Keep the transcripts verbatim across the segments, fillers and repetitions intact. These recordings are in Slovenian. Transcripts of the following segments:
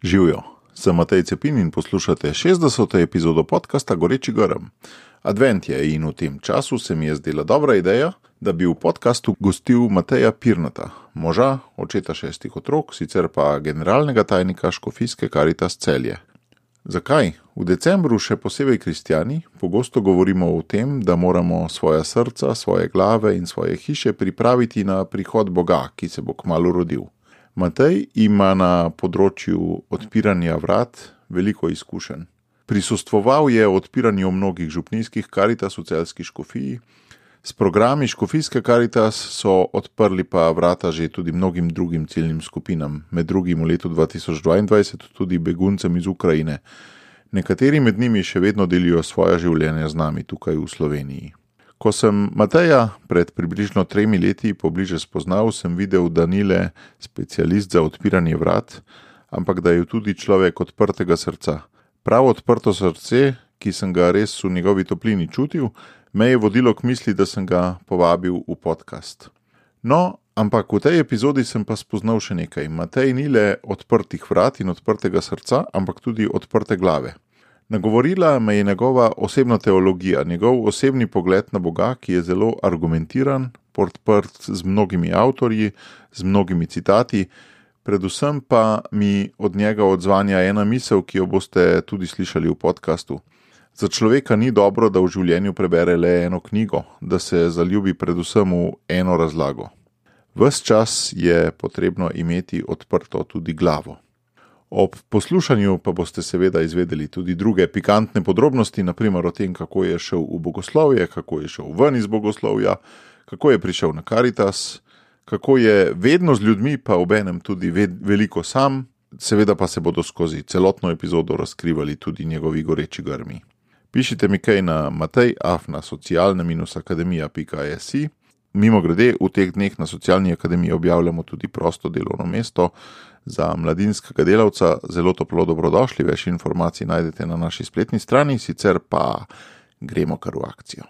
Živjo, sem Matej Cepin in poslušate šestdeseto epizodo podcasta Goreči grm. Advent je in v tem času se mi je zdela dobra ideja, da bi v podcastu gostil Mateja Pirnata, moža, očeta šestih otrok, sicer pa generalnega tajnika Škofijske Karitas Celje. Zakaj? V decembru še posebej kristjani pogosto govorimo o tem, da moramo svoja srca, svoje glave in svoje hiše pripraviti na prihod Boga, ki se bo kmalu rodil. Matej ima na področju odpiranja vrat veliko izkušenj. Prisostvoval je odpiranju mnogih župnijskih Karitas v Celjski škofiji. S programi Škofijske Karitas so odprli pa vrata že tudi mnogim drugim ciljnim skupinam, med drugim v letu dva tisoč dvaindvajset tudi beguncem iz Ukrajine. Nekateri med njimi še vedno delijo svoja življenja z nami tukaj v Sloveniji. Ko sem Mateja pred približno tremi leti pobliže spoznal, sem videl, da ni le specialist za odpiranje vrat, ampak da je tudi človek odprtega srca. Prav odprto srce, ki sem ga res v njegovi toplini čutil, me je vodilo k misli, da sem ga povabil v podcast. No, ampak v tej epizodi sem pa spoznal še nekaj. Matej ni le odprtih vrat in odprtega srca, ampak tudi odprte glave. Nagovorila me je njegova osebna teologija, njegov osebni pogled na Boga, ki je zelo argumentiran, podprt z mnogimi avtorji, z mnogimi citati, predvsem pa mi od njega odzvanja ena misel, ki jo boste tudi slišali v podcastu. Za človeka ni dobro, da v življenju prebere le eno knjigo, da se zaljubi predvsem v eno razlago. Ves čas je potrebno imeti odprto tudi glavo. Ob poslušanju pa boste seveda izvedeli tudi druge pikantne podrobnosti, naprimer o tem, kako je šel v bogoslovje, kako je šel ven iz bogoslovja, kako je prišel na Karitas, kako je vedno z ljudmi, pa obenem tudi veliko sam, seveda pa se bodo skozi celotno epizodo razkrivali tudi njegovi goreči grmi. Pišite mi kaj na matej afna socialna akademija pika si. Mimo grede, v teh dneh na Socialni akademiji objavljamo tudi prosto delovno mesto za mladinskega delavca. Zelo toplo dobrodošli, več informacij najdete na naši spletni strani, sicer pa gremo kar v akcijo.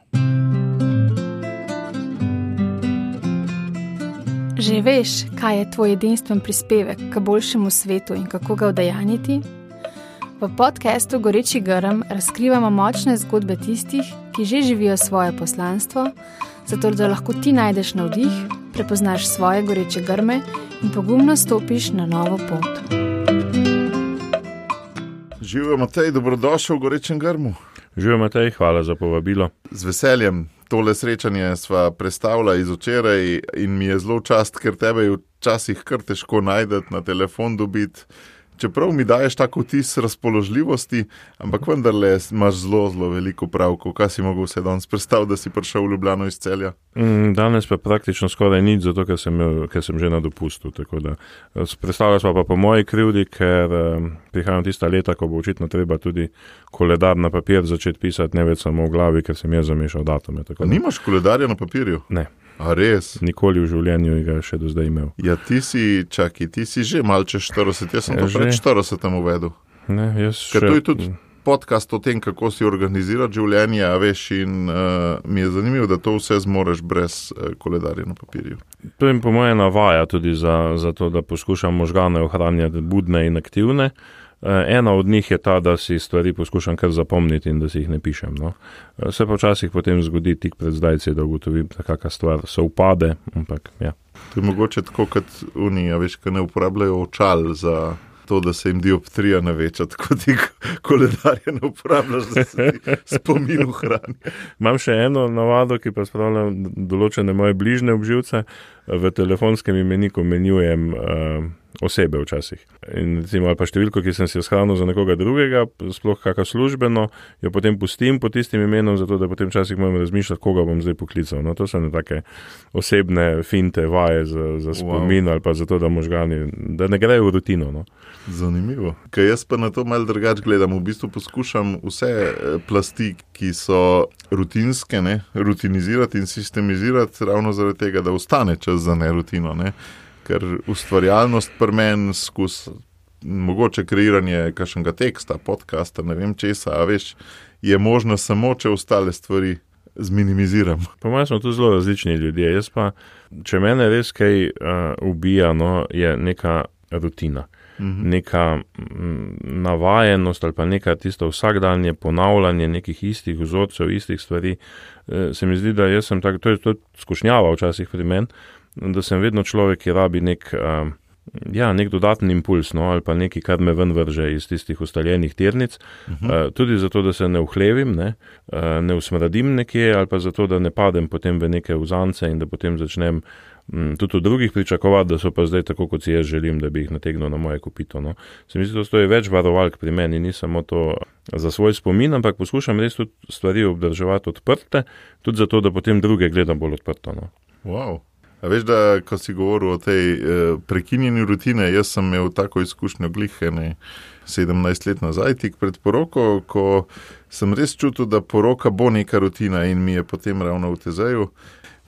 Že veš, kaj je tvoj edinstven prispevek k boljšemu svetu in kako ga udejanjiti? V podcastu Goreči grm razkrivamo močne zgodbe tistih, ki že živijo svoje poslanstvo, zato da lahko ti najdeš navdih, prepoznaš svoje goreče grme in pogumno stopiš na novo pot. Živjo Matej, dobrodošel v Gorečem grmu. Živjo Matej, hvala za povabilo. Z veseljem, tole srečanje sva prestavila iz včeraj in mi je zelo čast, ker tebe je včasih kar težko najdeti, na telefon dobiti. Čeprav mi daješ tako vtis razpoložljivosti, ampak vendarle imaš zelo, zelo veliko pravkov. Kaj si mogel vse danes predstaviti, da si prišel v Ljubljano iz Celja? Danes pa praktično skoraj nič, zato ker sem, ker sem že na dopustu. Tako da predstavljal smo pa po moji krivdi, ker prihajam tista leta, ko bo očitno treba tudi koledar na papir začeti pisati, ne več samo v glavi, ker sem jaz zamešal datume. Tako da... Nimaš koledarja na papirju? Ne. A res? Nikoli v življenju ga še do zdaj imel. Ja, ti si, čaki, ti si že malce štirideset, jaz sem ja, to pred štiridesetem uvedel. Ne, jaz Ker še... to je tudi podcast o tem, kako si organizirati življenje, a veš, in uh, mi je zanimivo, da to vse zmoreš brez uh, koledarja na papirju. To je po moje navaja tudi za, za to, da poskušam možgane ohranjati budne in aktivne. Ena od njih je ta, da si stvari poskušam kar zapomniti in da si jih ne pišem. No. Se pa včasih potem zgodi tik pred zdajci, da ugotovim, da kakšna stvar se upade, ampak ja. To je mogoče tako kot unija, veš, ki ne uporabljajo očal za to, da se jim dioptrija ne veča, tako ti koledarje ne uporabljaš, da se ti spomin ohrani. Imam še eno navado, ki pa spravljam določene moje bližne obživce. V telefonskem imeniku menjujem uh, osebe včasih. In recimo, ali pa številko, ki sem si jo shranil za nekoga drugega, sploh kakšno službeno, jo potem pustim pod tistim imenom, zato da potem včasih moram razmišljati, koga bom zdaj poklical. No, to so ne take osebne finte, vaje za, za spomin, wow. Ali pa zato, da možgani, da ne grejo v rutino. No. Zanimivo. Kaj jaz pa na to malo drugače gledam. V bistvu poskušam vse plasti, ki so rutinske, ne, rutinizirati in sistemizirati ravno zaradi tega, da ostane čas za nerutino, ne. Ker ustvarjalnost pri meni skus, mogoče kreiranje kakšnega teksta, podcasta, ne vem česa, a veš, je možno samo, če ostale stvari zminimiziram. Po mojem smo tu zelo različni ljudje. Jaz pa, če mene res kaj uh, ubija, no, je neka rutina. mhm. neka navajenost ali pa neka tisto vsakdanje ponavljanje nekih istih vzorcev, istih stvari. Se mi zdi, da jaz sem tak, to je to skušnjava včasih pri meni, da sem vedno človek, ki rabi nek, ja, nek dodaten impuls, no, ali pa nekaj, kar me ven vrže iz tistih ustaljenih tirnic, uh-huh. tudi zato, da se ne uhlevim, ne, ne usmradim nekje, ali pa zato, da ne padem potem v neke vzance in da potem začnem tudi od drugih pričakovati, da so pa zdaj tako, kot si jaz želim, da bi jih nategnil na moje kopito. No. Se mi zdi, da stoji več varovalk pri meni, ni samo to za svoj spomin, ampak poskušam res tudi stvari obdrževati odprte, tudi zato, da potem druge gledam bolj odprto. No. Wow. A veš, da ko si govoril o tej eh, prekinjeni rutine, jaz sem imel tako izkušnjo glih ene sedemnajst let nazaj, tik pred poroko, ko sem res čutil, da poroka bo neka rutina in mi je potem ravno v tezeju.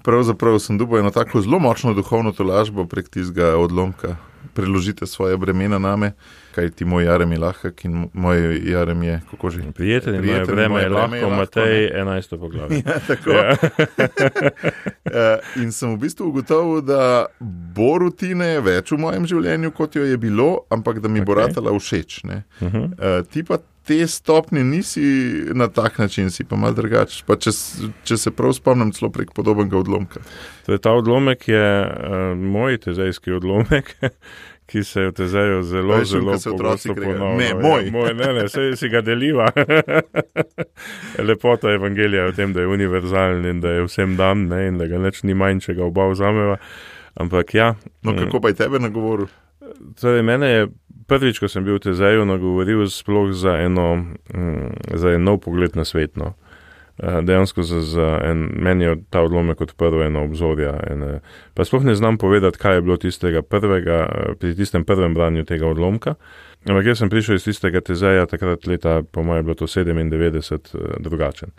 Pravzaprav sem dobil eno tako zelo močno duhovno tolažbo prek tistega odlomka. Preložite svoje bremena name, kaj ti moj jarem je lahek in moj jarem je, kako že? Prijatelj in moje breme je lahko, Matej enajsto poglavje. Ja, tako. Ja. In sem v bistvu ugotovil, da bo rutine več v mojem življenju, kot jo je bilo, ampak da mi okay. bo ratala všeč. Ne? Uh-huh. Ti pa te stopnje nisi na tak način, si pa malo drugač. Pa če, če se prav spomnim, celo prek podobnega odlomka. Torej, ta odlomek je uh, moj tezejski odlomek, ki se v tezeju zelo, Veš, zelo pogosto ponavlja. Ne, moj. Ja, moj, ne, ne, sej si ga deliva. Lepota evangelija je v tem, da je univerzalen in da je vsem dan, ne, in da ga neč ni manj, če ga oba vzameva. Ampak ja. No, kako pa je tebe nagovoril? Torej, mene je prvič, ko sem bil v tezeju, nagovoril sploh za eno, za en nov pogled na svet, no. Dejansko za, za en, meni je ta odlomek odprl eno obzorja. Ene, pa sploh ne znam povedati, kaj je bilo tistega prvega, pri tistem prvem branju tega odlomka. Ampak jaz sem prišel iz tistega tezeja, takrat leta, po mojem, je bilo to sedemindevetdeset, drugačen.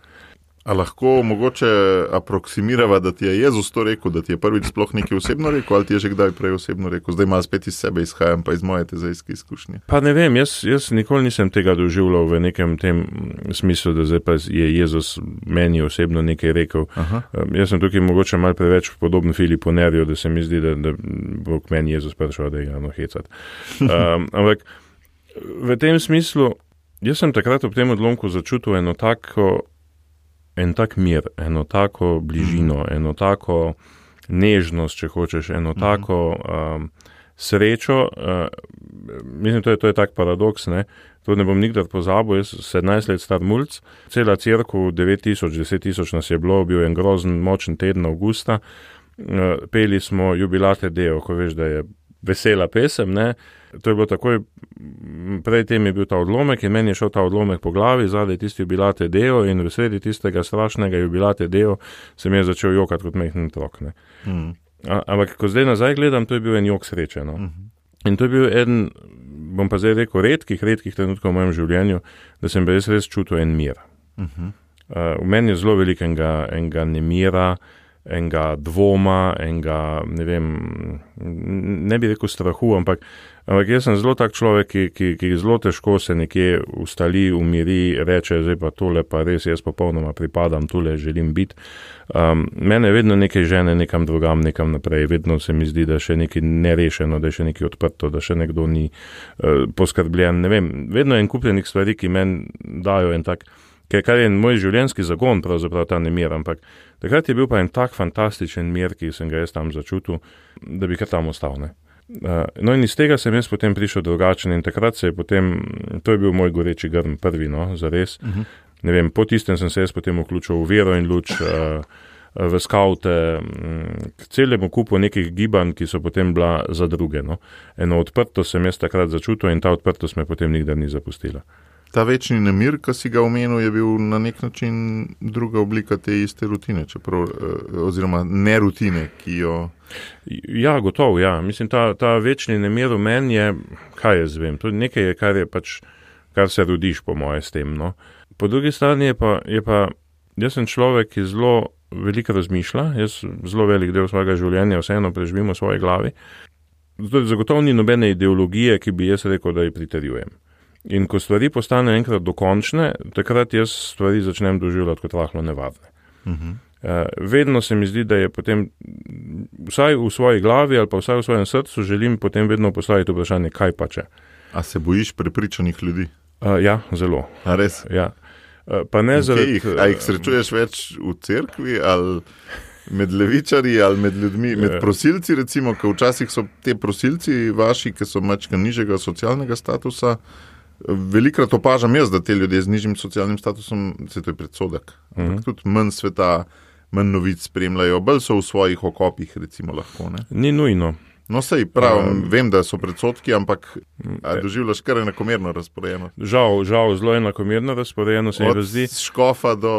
A lahko mogoče aproksimirava, da ti je Jezus to rekel, da ti je prvič sploh nekaj osebno rekel, ali ti je že kdaj prej osebno rekel? Zdaj malo spet iz sebe izhajam, pa iz moje tezejske izkušnje. Pa ne vem, jaz, jaz nikoli nisem tega doživljal v nekem tem smislu, da zdaj pa je Jezus meni osebno nekaj rekel. Aha. Jaz sem tukaj mogoče malo preveč podoben Filipu Nerju, da se mi zdi, da, da bo k meni Jezus prišel, da je ga hecati. Um, ampak v tem smislu, jaz sem takrat ob tem odlomku začutil eno tako en tak mir, eno tako bližino, mm. eno tako nežnost, če hočeš, eno mm. tako um, srečo. Uh, mislim, to je, to je tak paradoks, ne? To ne bom nikdar pozabil, jaz sedemnajst let star mulc, cela cerkev, devet tisoč, deset tisoč nas je bilo, bil en grozen, močen teden avgusta, uh, peli smo Jubilate Deo, ko veš, da je vesela pesem, ne? To je bilo takoj, prej tem je bil ta odlomek in meni je šel ta odlomek po glavi, zadaj tisti Jubilate Deo in v sredi tistega strašnega Jubilate Deo sem je začel jokati kot mehnen otrok. Mm. Ampak, ko zdaj nazaj gledam, to je bil en jok sreče. No? Mm-hmm. In to je bil eden, bom pa zdaj rekel, redkih, redkih trenutkov v mojem življenju, da sem res res čutil en mir. Mm-hmm. Uh, v meni je zelo veliko enega, enega nemira, enega dvoma, enega, ne vem, ne bi rekel strahu, ampak, ampak jaz sem zelo tak človek, ki, ki, ki zelo težko se nekje ustali, umiri, reče, zdaj pa tole pa res, jaz popolnoma pripadam, tole želim biti. Um, mene vedno nekaj žene nekam drugam, nekam naprej, vedno se mi zdi, da še nekaj nerešeno, da je še nekaj odprto, da še nekdo ni uh, poskrbljen, ne vem, vedno je en kupljenih stvari, ki meni dajo en tak, kar je moj življenjski zagon, pravzaprav ta nemir, ampak takrat je bil pa en tak fantastičen mir, ki sem ga jaz tam začutil, da bi kar tam ostal, ne. Uh, no in iz tega sem jaz potem prišel drugačen in takrat se je potem, to je bil moj goreči grm prvi, no, zares. Uh-huh. Ne vem, po tistem sem se jaz potem vključil v vero in luč, uh, v skavte, k celemu kupu nekih gibanj, ki so potem bila za druge, no. Eno odprto sem jaz takrat začutil in ta odprtost me potem nikdar ni zapustila. Ta večni nemir, ki si ga omenil, je bil na nek način druga oblika te iste rutine, čeprav, oziroma nerutine, ki jo... Ja, gotovo, ja. Mislim, ta, ta večni nemir v meni je, kaj jaz vem, to nekaj je, kar je pač, kar se rodiš po moje s tem, no. Po drugi strani je pa, je pa, jaz sem človek, ki zelo veliko razmišlja, jaz zelo velik del svojega življenja vseeno preživim v svoji glavi. Zato zagotovo ni nobene ideologije, ki bi jaz rekel, da ji pritrjujem. In ko stvari postanejo enkrat dokončne, takrat jaz stvari začnem doživljati kot rahlo nevarne. Uh-huh. Vedno se mi zdi, da je potem, vsaj v svoji glavi ali pa vsaj v svojem srcu, želim potem vedno postaviti vprašanje, kaj pa če. A se bojiš prepričanih ljudi? Uh, ja, zelo. A res? Ja. Uh, pa ne zaradi... Jih, a jih srečuješ več v cerkvi ali med levičarji ali med ljudmi, med prosilci recimo, ker včasih so te prosilci vaši, ki so mačka nižjega socialnega statusa, velikrat opažam jaz, da te ljudje z nižjim socialnim statusom, se to je predsodek, ampak uh-huh. tudi manj sveta, manj novic spremljajo, bolj so v svojih okopih, recimo lahko. Ne? Ni nujno. No, sej prav, um, vem, da so predsodki, ampak doživljaš kar enakomerno razporejeno. Žal, žal, zelo enakomerno razporejeno se mi razdi. Od škofa do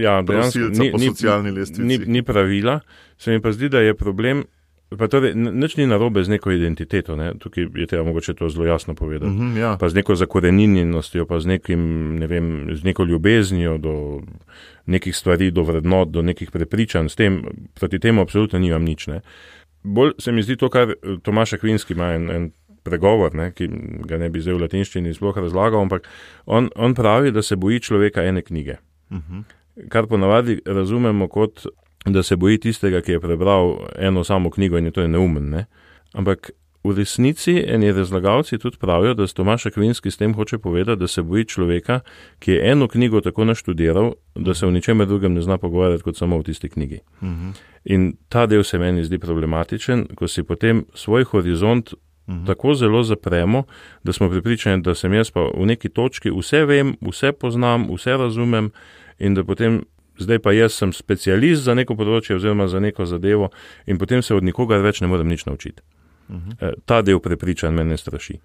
ja, prosilca po ni, socialni lestvici. Ni, ni pravila, se mi pa zdi, da je problem, pa torej, nič ni narobe z neko identiteto, ne? Tukaj je treba mogoče to zelo jasno povedati, uh-huh, ja. Pa z neko zakoreninjenostjo, pa z nekim, ne vem, z neko ljubeznijo do nekih stvari, do vrednot, do nekih prepričanj, s tem, proti temu absolutno nimam nič, ne. Bolj se mi zdi to, kar Tomaš Akvinski ima en, en pregovor, ne, ki ga ne bi zdaj v latinščini sploh razlagal, ampak on, on pravi, da se boji človeka ene knjige. Uh-huh. Kar ponavadi razumemo kot, da se boji tistega, ki je prebral eno samo knjigo in je to je neumen, ne. Ampak v resnici eni razlagalci tudi pravijo, da Tomaš Akvinski s tem hoče povedati, da se boji človeka, ki je eno knjigo tako naštudiral, da se v ničemer drugem ne zna pogovarjati kot samo v tisti knjigi. Uh-huh. In ta del se meni zdi problematičen, ko si potem svoj horizont uh-huh. tako zelo zapremo, da smo pripričani, da sem jaz pa v neki točki vse vem, vse poznam, vse razumem in da potem zdaj pa jaz sem specialist za neko področje oziroma za neko zadevo in potem se od nikogar več ne morem nič naučiti. Uh-huh. Ta del prepričanj mene straši.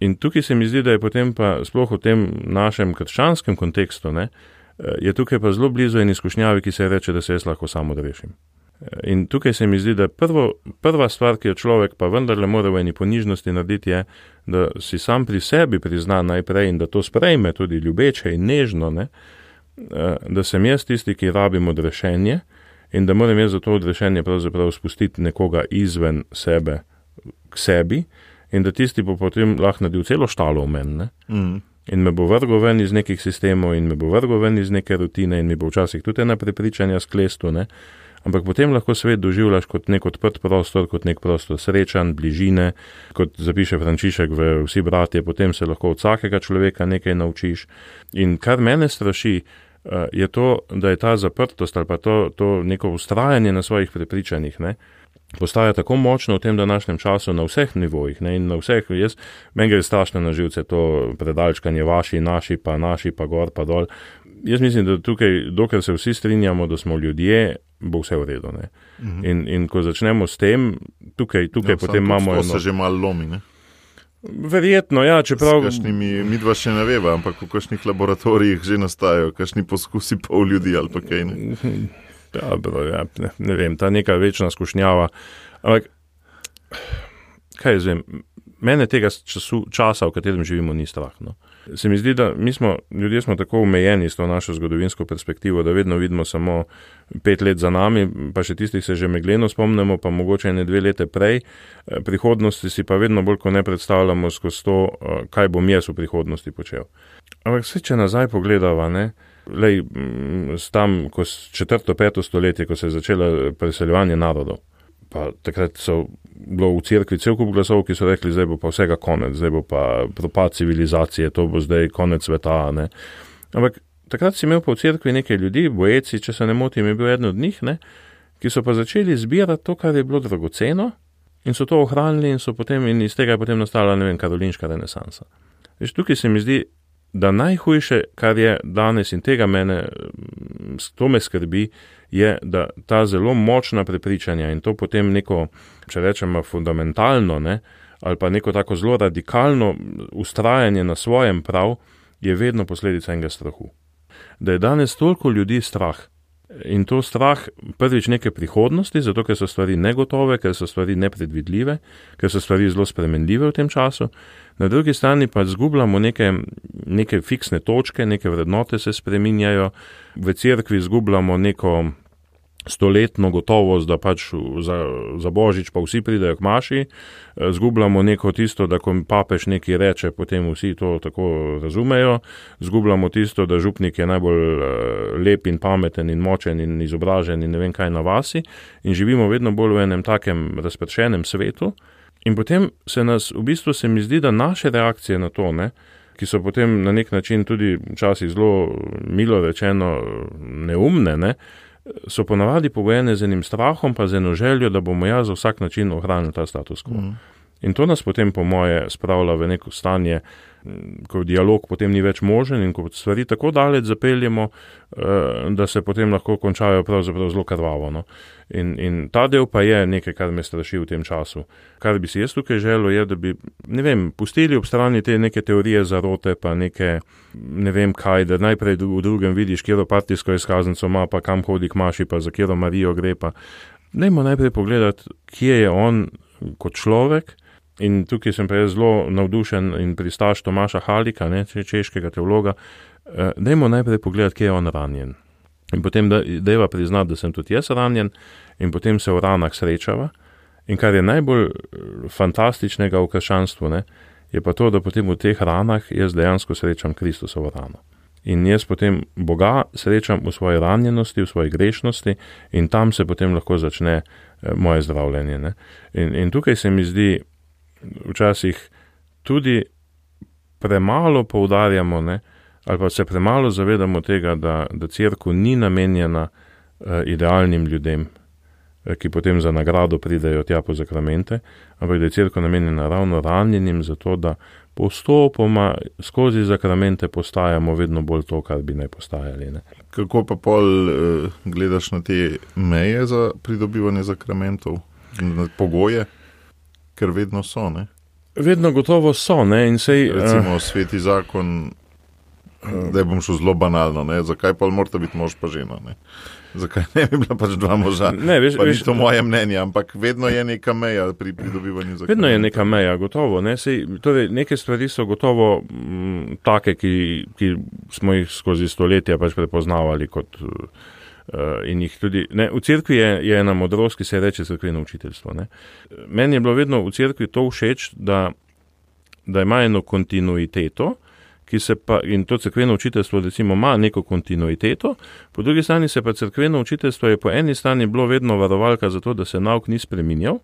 In tukaj se mi zdi, da je potem pa sploh v tem našem krščanskem kontekstu, ne, je tukaj pa zelo blizu en izkušnjavi, ki se reče, da se jaz lahko sam odrešim. In tukaj se mi zdi, da prvo, prva stvar, ki jo človek pa vendarle mora v eni ponižnosti narediti, je, da si sam pri sebi prizna najprej in da to sprejme tudi ljubeče in nežno, ne, da sem jaz tisti, ki rabim odrešenje in da moram jaz za to odrešenje pravzaprav spustiti nekoga izven sebe k sebi in da tisti bo potem lahko naredil celo štalo v meni. Mm. In me bo vrgo ven iz nekih sistemov in me bo vrgo ven iz neke rutine in mi bo včasih tudi ena prepričanja sklestu, ne. Ampak potem lahko svet doživljaš kot nek odprt prostor, kot nek prostor srečanj, bližine, kot zapiše Frančišek v Vsi bratje, potem se lahko od vsakega človeka nekaj naučiš. In kar mene straši, je to, da je ta zaprtost ali pa to, to neko ustrajanje na svojih prepričanjih, ne, postaja tako močno v tem današnjem času na vseh nivojih, ne, in na vseh, jaz, meni gre strašno na živce to predalčkanje vaši, naši, pa naši, pa gor, pa dol. Jaz mislim, da tukaj, dokler se vsi strinjamo, da smo ljudje, bo vse v redu, ne. Uh-huh. In, in ko začnemo s tem, tukaj, tukaj ja, potem imamo eno... se že malo lomi, ne? Verjetno, ja, čeprav... S kakšnimi, midva še ne veva, ampak v kakšnih laboratorijih že nastajajo, kakšni poskusi pol ljudi ali pa kaj, ne? Ja, bro, ja, ne, ne vem, ta neka večna skušnjava, ampak kaj jaz vem, mene tega času, časa, v katerem živimo, ni strah, no. Se mi zdi, da mi smo, ljudje smo tako omejeni s to našo zgodovinsko perspektivo, da vedno vidimo samo pet let za nami, pa še tistih se že megleno spomnimo, pa mogoče ene dve lete prej, prihodnosti si pa vedno bolj, ko ne predstavljamo skozi to, kaj bom jaz v prihodnosti počel. Ampak vse, če nazaj pogledava, ne, lej, tam, ko četrto, peto stoletje, ko se je začelo preseljevanje narodov, pa takrat so bilo v cerkvi cel kup glasov, ki so rekli, zdaj bo pa vsega konec, zdaj bo pa propad civilizacije, to bo zdaj konec sveta, ne. Ampak takrat si imel pa v cerkvi nekaj ljudi, bojeci, če se ne motim, je bil eden od njih, ne, ki so pa začeli zbirati to, kar je bilo dragoceno in so to ohranili in so potem, in iz tega je potem nastala, ne vem, karolinška renesansa. Veš, tukaj se mi zdi, da najhujše, kar je danes in tega mene, to me skrbi, je, da ta zelo močna prepričanja in to potem neko, če rečemo, fundamentalno, ne, ali pa neko tako zelo radikalno ustrajanje na svojem prav, je vedno posledica enega strahu. Da je danes toliko ljudi strah in to strah prvič neke prihodnosti, zato ker so stvari negotove, ker so stvari nepredvidljive, ker so stvari zelo spremenljive v tem času. Na drugi strani pa zgubljamo neke, neke fiksne točke, neke vrednote se spreminjajo, v cerkvi zgubljamo neko stoletno gotovost, da pač za, za Božič pa vsi pridejo k maši, zgubljamo neko tisto, da ko papež nekaj reče, potem vsi to tako razumejo, zgubljamo tisto, da župnik je najbolj lep in pameten in močen in izobražen in ne vem kaj na vasi in živimo vedno bolj v enem takem razpršenem svetu in potem se nas, v bistvu se mi zdi, da naše reakcije na to, ne, ki so potem na nek način tudi včasih zelo milo rečeno neumne, ne, so ponavadi pogojene z enim strahom, pa z eno željo, da bomo ja za vsak način ohranili ta status quo. Mm. In to nas potem po moje spravlja v neko stanje, ko dialog potem ni več možen in ko stvari tako daleč zapeljemo, da se potem lahko končajo pravzaprav zelo krvavo. No? In, in ta del pa je nekaj, kar me straši v tem času. Kar bi si jaz tukaj želel, je, da bi, ne vem, pustili ob strani te neke teorije zarote, pa neke, ne vem kaj, da najprej v drugem vidiš, kjero partijsko izkaznico ima, pa kam hodi k maši, pa za kjero Marijo gre, pa dajmo najprej pogledati, kje je on kot človek. In tukaj sem pa jaz zelo navdušen in pristaš Tomaša Halika, ne, češkega teologa, dajmo najprej pogledati, kje je on ranjen. In potem dajva priznati, da sem tudi jaz ranjen in potem se v ranah srečava. In kar je najbolj fantastičnega v krščanstvu, ne, je pa to, da potem v teh ranah jaz dejansko srečam Kristusovo rano. In jaz potem Boga srečam v svoji ranjenosti, v svoji grešnosti in tam se potem lahko začne moje zdravljenje. Ne. In, in tukaj se mi zdi, včasih tudi premalo poudarjamo, ne, ali pa se premalo zavedamo tega, da, da cerkev ni namenjena uh, idealnim ljudem, uh, ki potem za nagrado pridejo tja po zakramente, ampak da je cerkev namenjena ravno ranjenim, zato da postopoma skozi zakramente postajamo vedno bolj to, kar bi naj postajali. Ne. Kako pa pol uh, gledaš na te meje za pridobivanje zakramentov, na pogoje? Ker vedno so, ne? Vedno gotovo so, ne? In sej, recimo uh, sveti zakon, da bom šel zelo banalno, ne? Zakaj pa morata biti mož pa žena, ne? Zakaj ne bi bila pač dva moža? Ne, veš, pa veš, ni to moje mnenje, ampak vedno je neka meja pri pridobivanju zakramentov. Vedno je neka meja, gotovo, ne? Sej, torej, neke stvari so gotovo m, take, ki, ki smo jih skozi stoletja pač prepoznavali kot Uh, in jih tudi, ne, v cerkvi je, je ena modrost, ki se reče cerkveno učiteljstvo. Ne. Meni je bilo vedno v cerkvi to všeč, da, da ima eno kontinuiteto, ki se pa, in to cerkveno učiteljstvo recimo ima neko kontinuiteto, po drugi strani se pa cerkveno učiteljstvo je po eni strani bilo vedno varovalka za to, da se nauk ni spreminjal,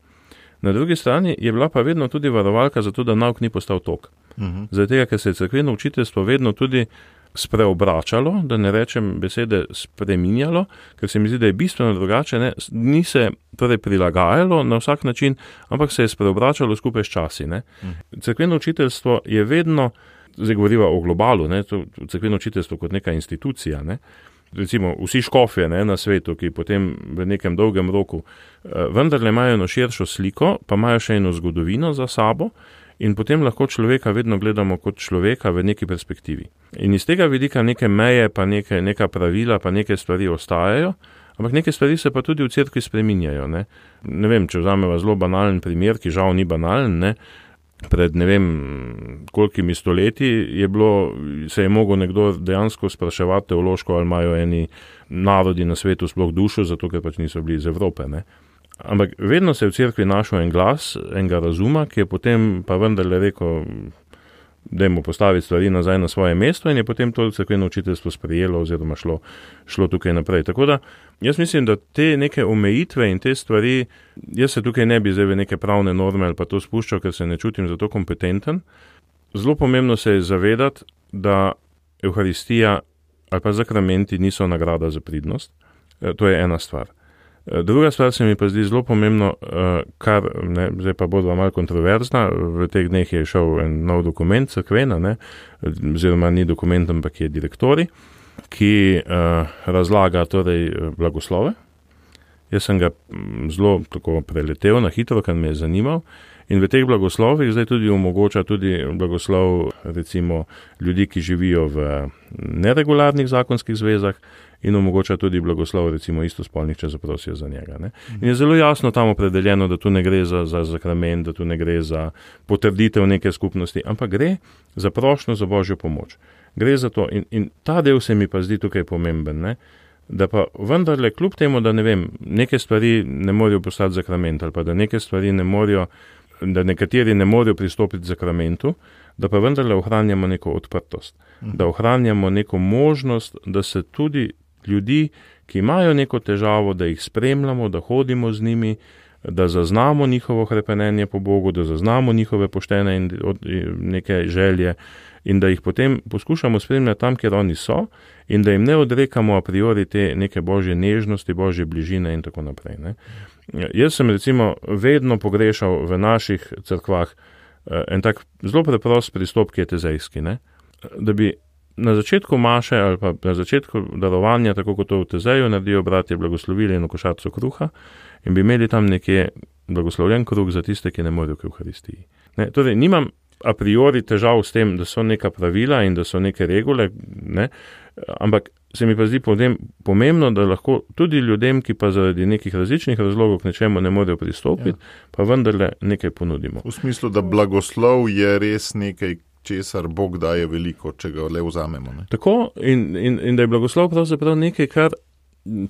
na drugi strani je bila pa vedno tudi varovalka za to, da nauk ni postal tok. Uh-huh. Zaradi tega, ker se je cerkveno učiteljstvo vedno tudi spreobračalo, da ne rečem besede spreminjalo, ker se mi zdi, da je bistveno drugače, ne, ni se torej prilagajalo na vsak način, ampak se je spreobračalo skupaj s časi. Ne. Cerkveno učiteljstvo je vedno, zdaj govoriva o globalu, ne, to cerkveno učiteljstvo kot neka institucija, ne, recimo vsi škofje, ne, na svetu, ki potem v nekem dolgem roku vendarle imajo eno širšo sliko, pa imajo še eno zgodovino za sabo, in potem lahko človeka vedno gledamo kot človeka v neki perspektivi. In iz tega vidika neke meje, pa neke, neka pravila, pa neke stvari ostajajo, ampak neke stvari se pa tudi v cerkvi spreminjajo. Ne, ne vem, če vzameva zelo banalen primer, ki žal ni banalen, ne, pred ne vem kolikimi stoletji je bilo, se je mogel nekdo dejansko spraševati teološko, ali imajo eni narodi na svetu sploh dušo, zato ker pač niso bili iz Evrope, ne. Ampak vedno se je v cerkvi našel en glas, enega razuma, ki je potem pa vendarle rekel, dajmo postaviti stvari nazaj na svoje mesto in je potem to cerkveno učiteljstvo sprejelo oziroma šlo, šlo tukaj naprej. Tako da jaz mislim, da te neke omejitve in te stvari, jaz se tukaj ne bi zdaj v neke pravne norme ali pa to spuščal, ker se ne čutim za to kompetenten. Zelo pomembno se je zavedati, da Evharistija ali pa zakramenti niso nagrada za pridnost. To je ena stvar. Druga stvar se mi pa zdi zelo pomembno, kar, ne, zdaj pa bo malo kontroverzna, v teh dneh je šel en nov dokument, cerkvena, ne, oziroma ni dokument, ampak je direktori, ki uh, razlaga torej blagoslove. Jaz sem ga zelo tako preletel na hitro, kar me je zanimal. In v teh blagoslovih zdaj tudi omogoča tudi blagoslov recimo ljudi, ki živijo v neregularnih zakonskih zvezah in omogoča tudi blagoslov recimo istospolnih, če zaprosijo za njega. Ne. In je zelo jasno tam opredeljeno, da tu ne gre za, za zakrament, da tu ne gre za potrditev neke skupnosti, ampak gre za prošnjo za Božjo pomoč. Gre za to in, in ta del se mi pa zdi tukaj pomemben, ne. da pa vendarle kljub temu, da ne vem, neke stvari ne morejo postati zakrament ali pa da neke stvari ne morejo, da nekateri ne morejo pristopiti k zakramentu, da pa vendarle ohranjamo neko odprtost, da ohranjamo neko možnost, da se tudi ljudi, ki imajo neko težavo, da jih spremljamo, da hodimo z njimi, da zaznamo njihovo hrepenenje po Bogu, da zaznamo njihove poštene in neke želje in da jih potem poskušamo spremljati tam, kjer oni so in da jim ne odrekamo a priori te neke božje nežnosti, božje bližine in tako naprej. Ne. Jaz sem recimo vedno pogrešal v naših cerkvah en tak zelo preprost pristop, ki je tezejski, ne. Da bi na začetku maše ali pa na začetku darovanja, tako kot to v Tezeju naredijo bratje, blagoslovili eno košarico kruha in bi imeli tam nekje blagoslovljen kruh za tiste, ki ne morejo k Evharistiji. Ne, torej, nimam a priori težav s tem, da so neka pravila in da so neke regule, ne, ampak se mi pa zdi potem pomembno, da lahko tudi ljudem, ki pa zaradi nekih različnih razlogov k nečemu ne morejo pristopiti, ja. Pa vendarle nekaj ponudimo. V smislu, da blagoslov je res nekaj, česar Bog daje veliko, če ga le vzamemo. Ne? Tako in, in, in da je blagoslov pravzaprav nekaj, kar,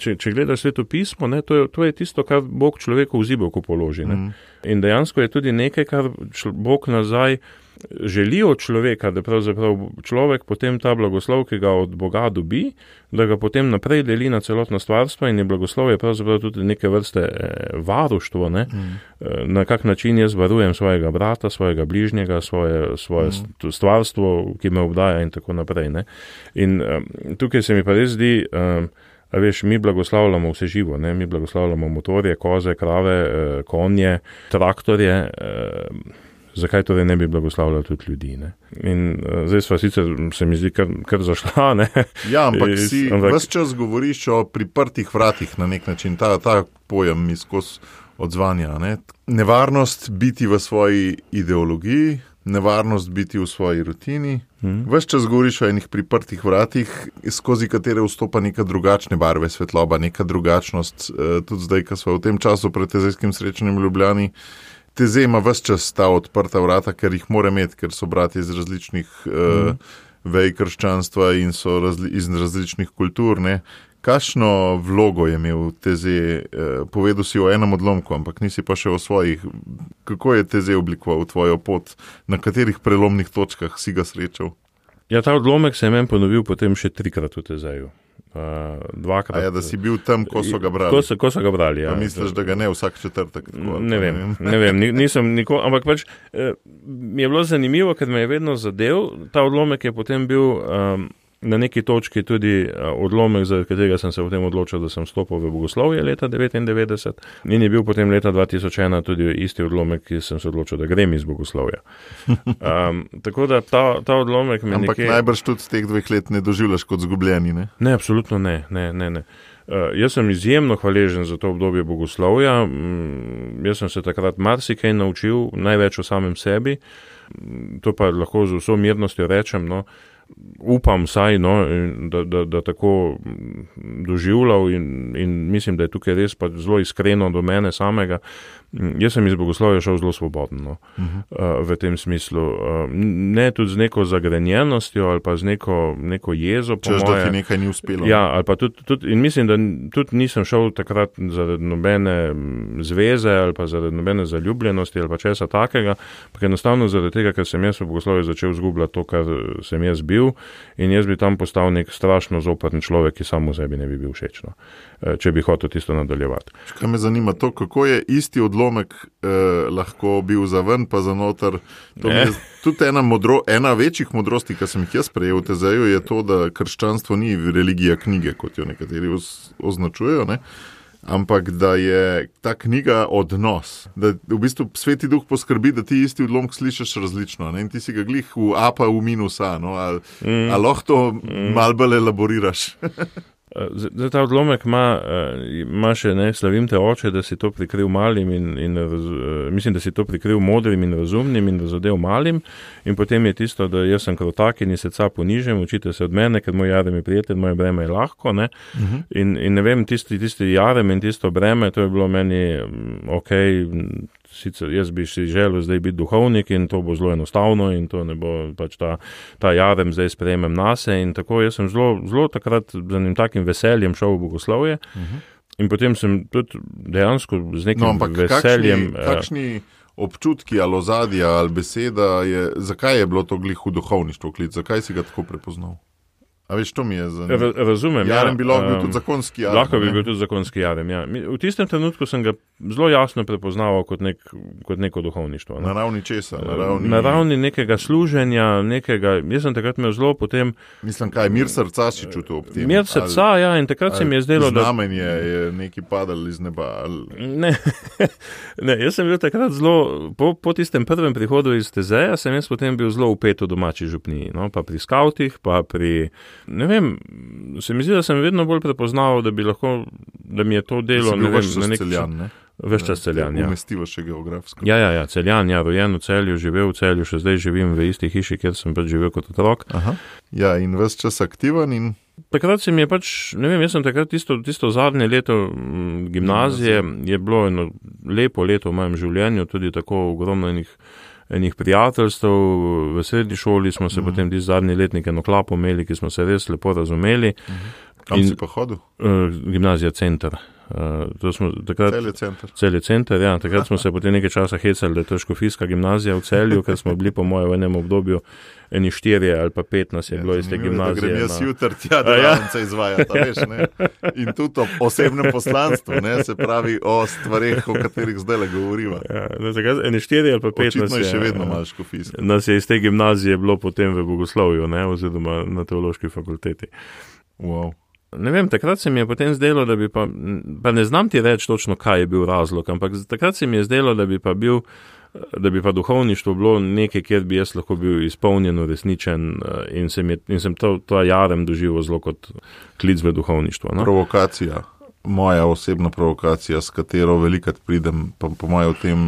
če, če gledaš Sveto pismo, ne, to, je, to je tisto, kar Bog človeku v zibelko položi. Ne? Mm. In dejansko je tudi nekaj, kar Bog nazaj želi od človeka, da pravzaprav človek potem ta blagoslov, ki ga od Boga dobi, da ga potem naprej deli na celotno stvarstvo in je blagoslov je pravzaprav tudi neke vrste varuštvo, ne? Mm. Na kak način jaz varujem svojega brata, svojega bližnjega, svoje, svoje mm. stvarstvo, ki me obdaja in tako naprej. Ne? In um, tukaj se mi pa res zdi, um, a veš, mi blagoslavljamo vse živo, ne? Mi blagoslavljamo motorje, koze, krave, konje, traktorje, zakaj torej ne bi blagoslavljali tudi ljudi, ne? In uh, zdaj sva sicer, se mi zdi, kar, kar zašla, ne? Ja, ampak Is, si ampak... ves čas govoriš o priprtih vratih na nek način, ta, ta pojem mi skozi odzvanja, ne? Nevarnost biti v svoji ideologiji, nevarnost biti v svoji rutini. Hmm. Ves čas govoriš o enih priprtih vratih, skozi katere vstopa neka drugačne barve svetloba, neka drugačnost, uh, tudi zdaj, ko sva v tem času pred tezejskim srečanjem v Ljubljani, Teze ima ves čas ta odprta vrata, ker jih mora imeti, ker so bratje iz različnih mm. uh, vej krščanstva in so razli, iz različnih kultur. Ne? Kakšno vlogo je imel Teze? Uh, povedal si o enem odlomku, ampak nisi pa še o svojih. Kako je Teze oblikoval tvojo pot? Na katerih prelomnih točkah si ga srečal? Ja, ta odlomek se je meni ponovil potem še trikrat v Tezeju. Uh, dvakrat. A ja, da si bil tam, ko so ga brali. Ko so, ko so ga brali, ja. Pa misliš, da ga ne vsak četrtek? Tako, ne vem, ne vem, nisem nikoli, ampak pač eh, mi je bilo zanimivo, ker me je vedno zadev. Ta odlomek je potem bil um, na neki točki tudi uh, odlomek, za katerega sem se potem odločil, da sem stopil v bogoslovje leta devetindevetdeset in je bil potem leta dva tisoč ena tudi isti odlomek, ki sem se odločil, da grem iz bogoslovja. Um, tako da ta, ta odlomek me ampak nekje... najbrž tudi z teh dveh let ne doživljaš kot zgubljeni, ne? Ne, absolutno ne, ne, ne, ne. Uh, jaz sem izjemno hvaležen za to obdobje bogoslovja, um, jaz sem se takrat marsikaj naučil, največ o samem sebi, to pa lahko z vso mirnostjo rečem, no, upam saj, no, da, da, da tako doživljal in, in mislim, da je tukaj res pa zelo iskreno do mene samega. Jaz sem iz bogoslovja šel zelo svobodno, no, uh-huh. v tem smislu. Ne tudi z neko zagrenjenostjo ali pa z neko, neko jezo. Češ, da ti nekaj ni uspelo. Ja, ali pa tudi, tudi, in mislim, da tudi nisem šel takrat zaradi nobene zveze ali pa zaradi nobene zaljubljenosti ali pa česa takega, pa enostavno zaradi tega, ker sem jaz v bogoslovju začel zgubljati to, kar sem jaz bil in jaz bi tam postal nek strašno zoprn človek, ki samo sebi ne bi bil všeč, no, če bi hotel tisto nadaljevati. Kaj me zanima to, kako je isti odlomek eh, lahko bil za ven pa za noter. To je tudi ena, modro, ena večjih modrosti, ki sem jih jaz prejel v Tezeju, je to, da krščanstvo ni religija knjige, kot jo nekateri označujejo, ne? Ampak da je ta knjiga odnos, da v bistvu Sveti Duh poskrbi, da ti isti odlomek slišiš različno, ne? In ti si ga glih v A pa v minus A, no? Ali mm. a lahko to mm. malo bolj elaboriraš? Zdaj, ta odlomek ima, ima še, ne, slavim te oče, da si to prikril malim in, in raz, mislim, da si to prikril modrim in razumnim in razodev malim in potem je tisto, da jaz sem krotak in srca ponižem, učite se od mene, ker moj jarem je prijeten, moje breme je lahko, ne, uh-huh. in, in ne vem, tisti, tisti jarem in tisto breme, to je bilo meni, ok, sicer jaz bi si želel zdaj biti duhovnik in to bo zelo enostavno in to ne bo pač ta, ta jarem zdaj sprejemem nase in tako jaz sem zelo, zelo takrat z enim takim veseljem šel v bogoslovje uh-huh. in potem sem tudi dejansko z nekim no, ampak veseljem. Kakšni, kakšni občutki ali ozadja ali beseda, je, zakaj je bilo to glih v duhovništvo klic, zakaj si ga tako prepoznal? A veš, to mi je zanimivo. Razumem, Jarem ja. bi lahko bil tudi zakonski jarem. Lahko bi bil tudi zakonski jarem, ja. V tistem trenutku sem ga zelo jasno prepoznaval kot, nek, kot neko duhovništvo. Ne? Na ravni česa? Na ravni... na ravni nekega služenja, nekega, jaz sem takrat imel zelo potem... Mislim, kaj, mir srca si čutil ob tem? Mir srca, ali, ja, in takrat se mi je zdelo, da... Znamenje je neki padal iz neba. Ali... Ne, ne, jaz sem bil takrat zelo, po, po tistem prvem prihodu iz Tezeja, sem jaz potem bil zelo upet v domači župniji, no, pa pri skavtih, pa pri... Ne vem, se mi zdi, da sem vedno bolj prepoznal, da bi lahko, da mi je to delo, ne vem, na nek Celjan, ne? Veš čas Celjan, ja. Umestivo še geografsko. Ja, ja, ja, Celjan, ja, rojen v Celju, živel v Celju, še zdaj živim v isti hiši, kjer sem pač živel kot otrok. Aha. Ja, in ves čas aktiven in... Takrat se mi je pač, ne vem, jaz sem takrat tisto, tisto zadnje leto gimnazije, je bilo eno lepo leto v mojem življenju, tudi tako ogromno enih enih prijateljstv, v srednji šoli smo se mm. potem ti zadnji letnik eno klapo imeli, ki smo se res lepo razumeli. Mm. Kam in, si pa hodil? Uh, gimnazija Center. Uh, to smo takrat, Celje Center. Celje Center, ja. Takrat smo se potem nekaj časa hecali, da je to škofijska gimnazija v Celju, ker smo bili po mojem v enem obdobju eni štirje ali pa pet nas je ja, bilo iz te gimnazije. Da grem jaz na... jutr tja, da ja. se izvajata, veš, ne? In tudi o osebnem poslanstvu, ne? Se pravi o stvareh, o katerih zdaj le govoriva. Ja, takrat eni štirje ali pa pet očitno nas je. Očitno je še vedno malo škofijska. Nas je iz te gimnazije bilo potem v bogoslovju, ne? Oziroma na teološki fakulteti. Wow. Ne vem, takrat se mi je potem zdelo, da bi pa, pa ne znam ti reči točno, kaj je bil razlog, ampak takrat se mi je zdelo, da bi pa bil, da bi pa duhovništvo bilo nekaj, kjer bi jaz lahko bil izpolnjen, resničen in sem, je, in sem to, to jarem doživel zelo kot klic v duhovništvo. No? Provokacija, moja osebna provokacija, s katero velikrat pridem, pa po mojem v tem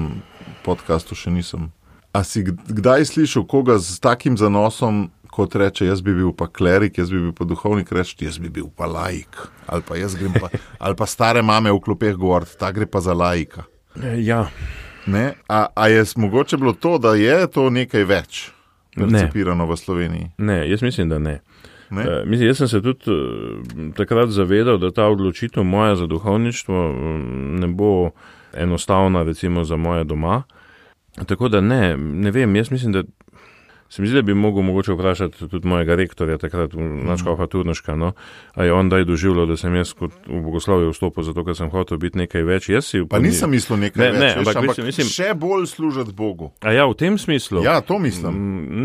podcastu še nisem. A si kdaj slišal koga z takim zanosom, kot reče, jaz bi bil pa klerik, jaz bi bil pa duhovnik, reči, jaz bi bil pa laik. Ali pa jaz grem pa, ali pa stare mame v klopeh govoriti, ta gre pa za laika. Ja. Ne? A, a je mogoče bilo to, da je to nekaj več percipirano v Sloveniji? Ne, jaz mislim, da ne. ne? Uh, mislim, jaz sem se tudi uh, takrat zavedal, da ta odločitev moja za duhovništvo um, ne bo enostavna, recimo, za moje doma. Tako da ne, ne vem, jaz mislim, da se mi zdi, da bi mogel mogoče vprašati tudi mojega rektorja, takrat nadškofa Turnoška, no, a je on daj doživljal, da sem jaz kot v bogoslovje vstopil, zato ker sem hotel biti nekaj več. Jaz si pa nisem mislil nekaj ne, več, ne, veš, ampak, ampak mislim, še bolj služiti Bogu. A ja, v tem smislu? Ja, to mislim.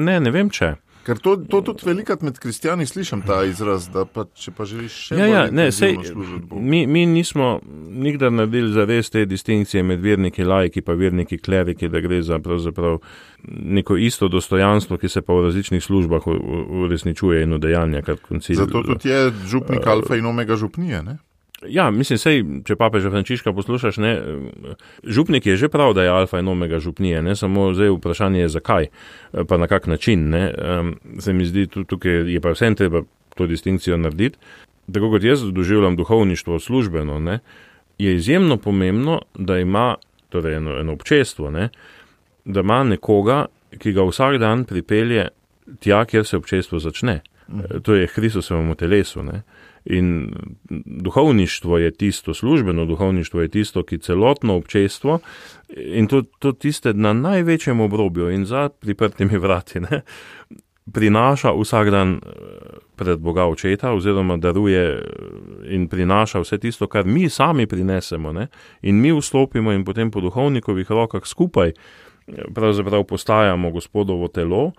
Ne, ne vem če. Ker to, to tudi velikrat med kristjani slišim ta izraz, da pa, če pa želiš še ja, bolj ja, ne, sej, služiti Bogu. Mi, mi nismo nikdar naredili zares te distinkcije med verniki laiki pa verniki kleriki, da gre za pravzaprav neko isto dostojanstvo, ki se pa v različnih službah uresničuje in udejanja kot koncil. Zato tudi je župnik alfa in omega župnije, ne? Ja, mislim, sej, če papeža Frančiška poslušaš, ne, župnik je že prav, da je alfa in omega župnije, ne, samo zdaj vprašanje je zakaj, pa na kak način, ne, um, se mi zdi, tukaj je pa vsem treba to distinkcijo narediti. Tako kot jaz doživljam duhovništvo službeno, ne, je izjemno pomembno, da ima, torej eno, eno občestvo, ne, da ima nekoga, ki ga vsak dan pripelje tja, kjer se občestvo začne. Mm. To je Kristusovemu telesu, ne. In duhovništvo je tisto, službeno duhovništvo je tisto, ki celotno občestvo in to, to tiste na največjem obrobju in za priprtimi vrati, ne, prinaša vsak dan pred Boga očeta oziroma daruje in prinaša vse tisto, kar mi sami prinesemo, ne, in mi vstopimo in potem po duhovnikovih rokah skupaj pravzaprav postajamo Gospodovo telo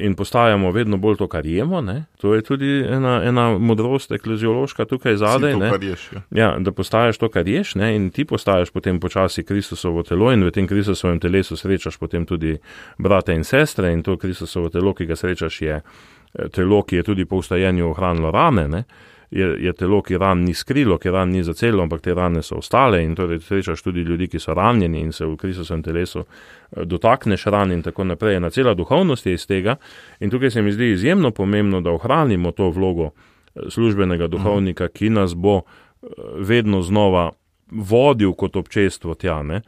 in postajamo vedno bolj to, kar jemo, ne. To je tudi ena, ena modrost ekleziološka tukaj zadaj, to, ne. Ješ, ja. Ja, da postajaš to, kar ješ, ne, in ti postajaš potem počasi Kristusovo telo in v tem Kristusovem telesu srečaš potem tudi brate in sestre in to Kristusovo telo, ki ga srečaš, je telo, ki je tudi po vstajenju ohranilo rane, ne. Je, je telo, ki ran ni skrilo, ki ran ni zacelo, ampak te rane so ostale in torej srečaš tudi ljudi, ki so ranjeni in se v Kristusovem telesu dotakneš ran in tako naprej. Ena cela duhovnost je iz tega in tukaj se mi zdi izjemno pomembno, da ohranimo to vlogo službenega duhovnika, ki nas bo vedno znova vodil kot občestvo tja, ne.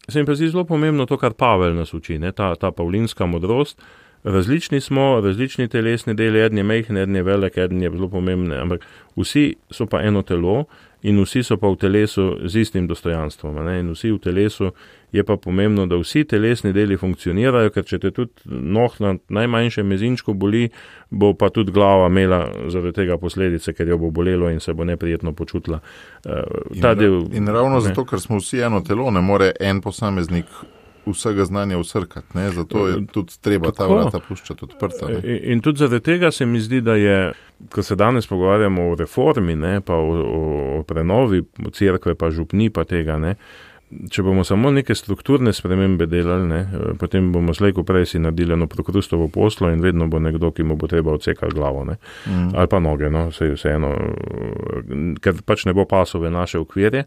se mi pa zdi zelo pomembno to, kar Pavel nas uči, ne? Ta, ta pavlinska modrost. Različni smo, različni telesni deli, eden je majhen, eden je velik, eden je zelo pomemben, ampak vsi so pa eno telo in vsi so pa v telesu z istim dostojanstvom. Ne? In vsi v telesu je pa pomembno, da vsi telesni deli funkcionirajo, ker če te tudi noh na najmanjšem mezinčku boli, bo pa tudi glava imela zaradi tega posledice, ker jo bo bolelo in se bo neprijetno počutila. In, Ta del, in ravno ne. zato, ker smo vsi eno telo, ne more en posameznik vsega znanja usrkati, ne? Zato je tudi treba ta vrata puščati odprta. In, in tudi zaradi tega se mi zdi, da je, ko se danes pogovarjamo o reformi, ne, pa o, o, o prenovi cerkve, pa župni, pa tega, ne, če bomo samo neke strukturne spremembe delali, ne, potem bomo slejko prej si naredili eno prokrustovo poslo in vedno bo nekdo, ki mu bo treba odsekati glavo, ne, mm. ali pa noge, no, vse, vse eno, ker pač ne bo pasove naše okvirje.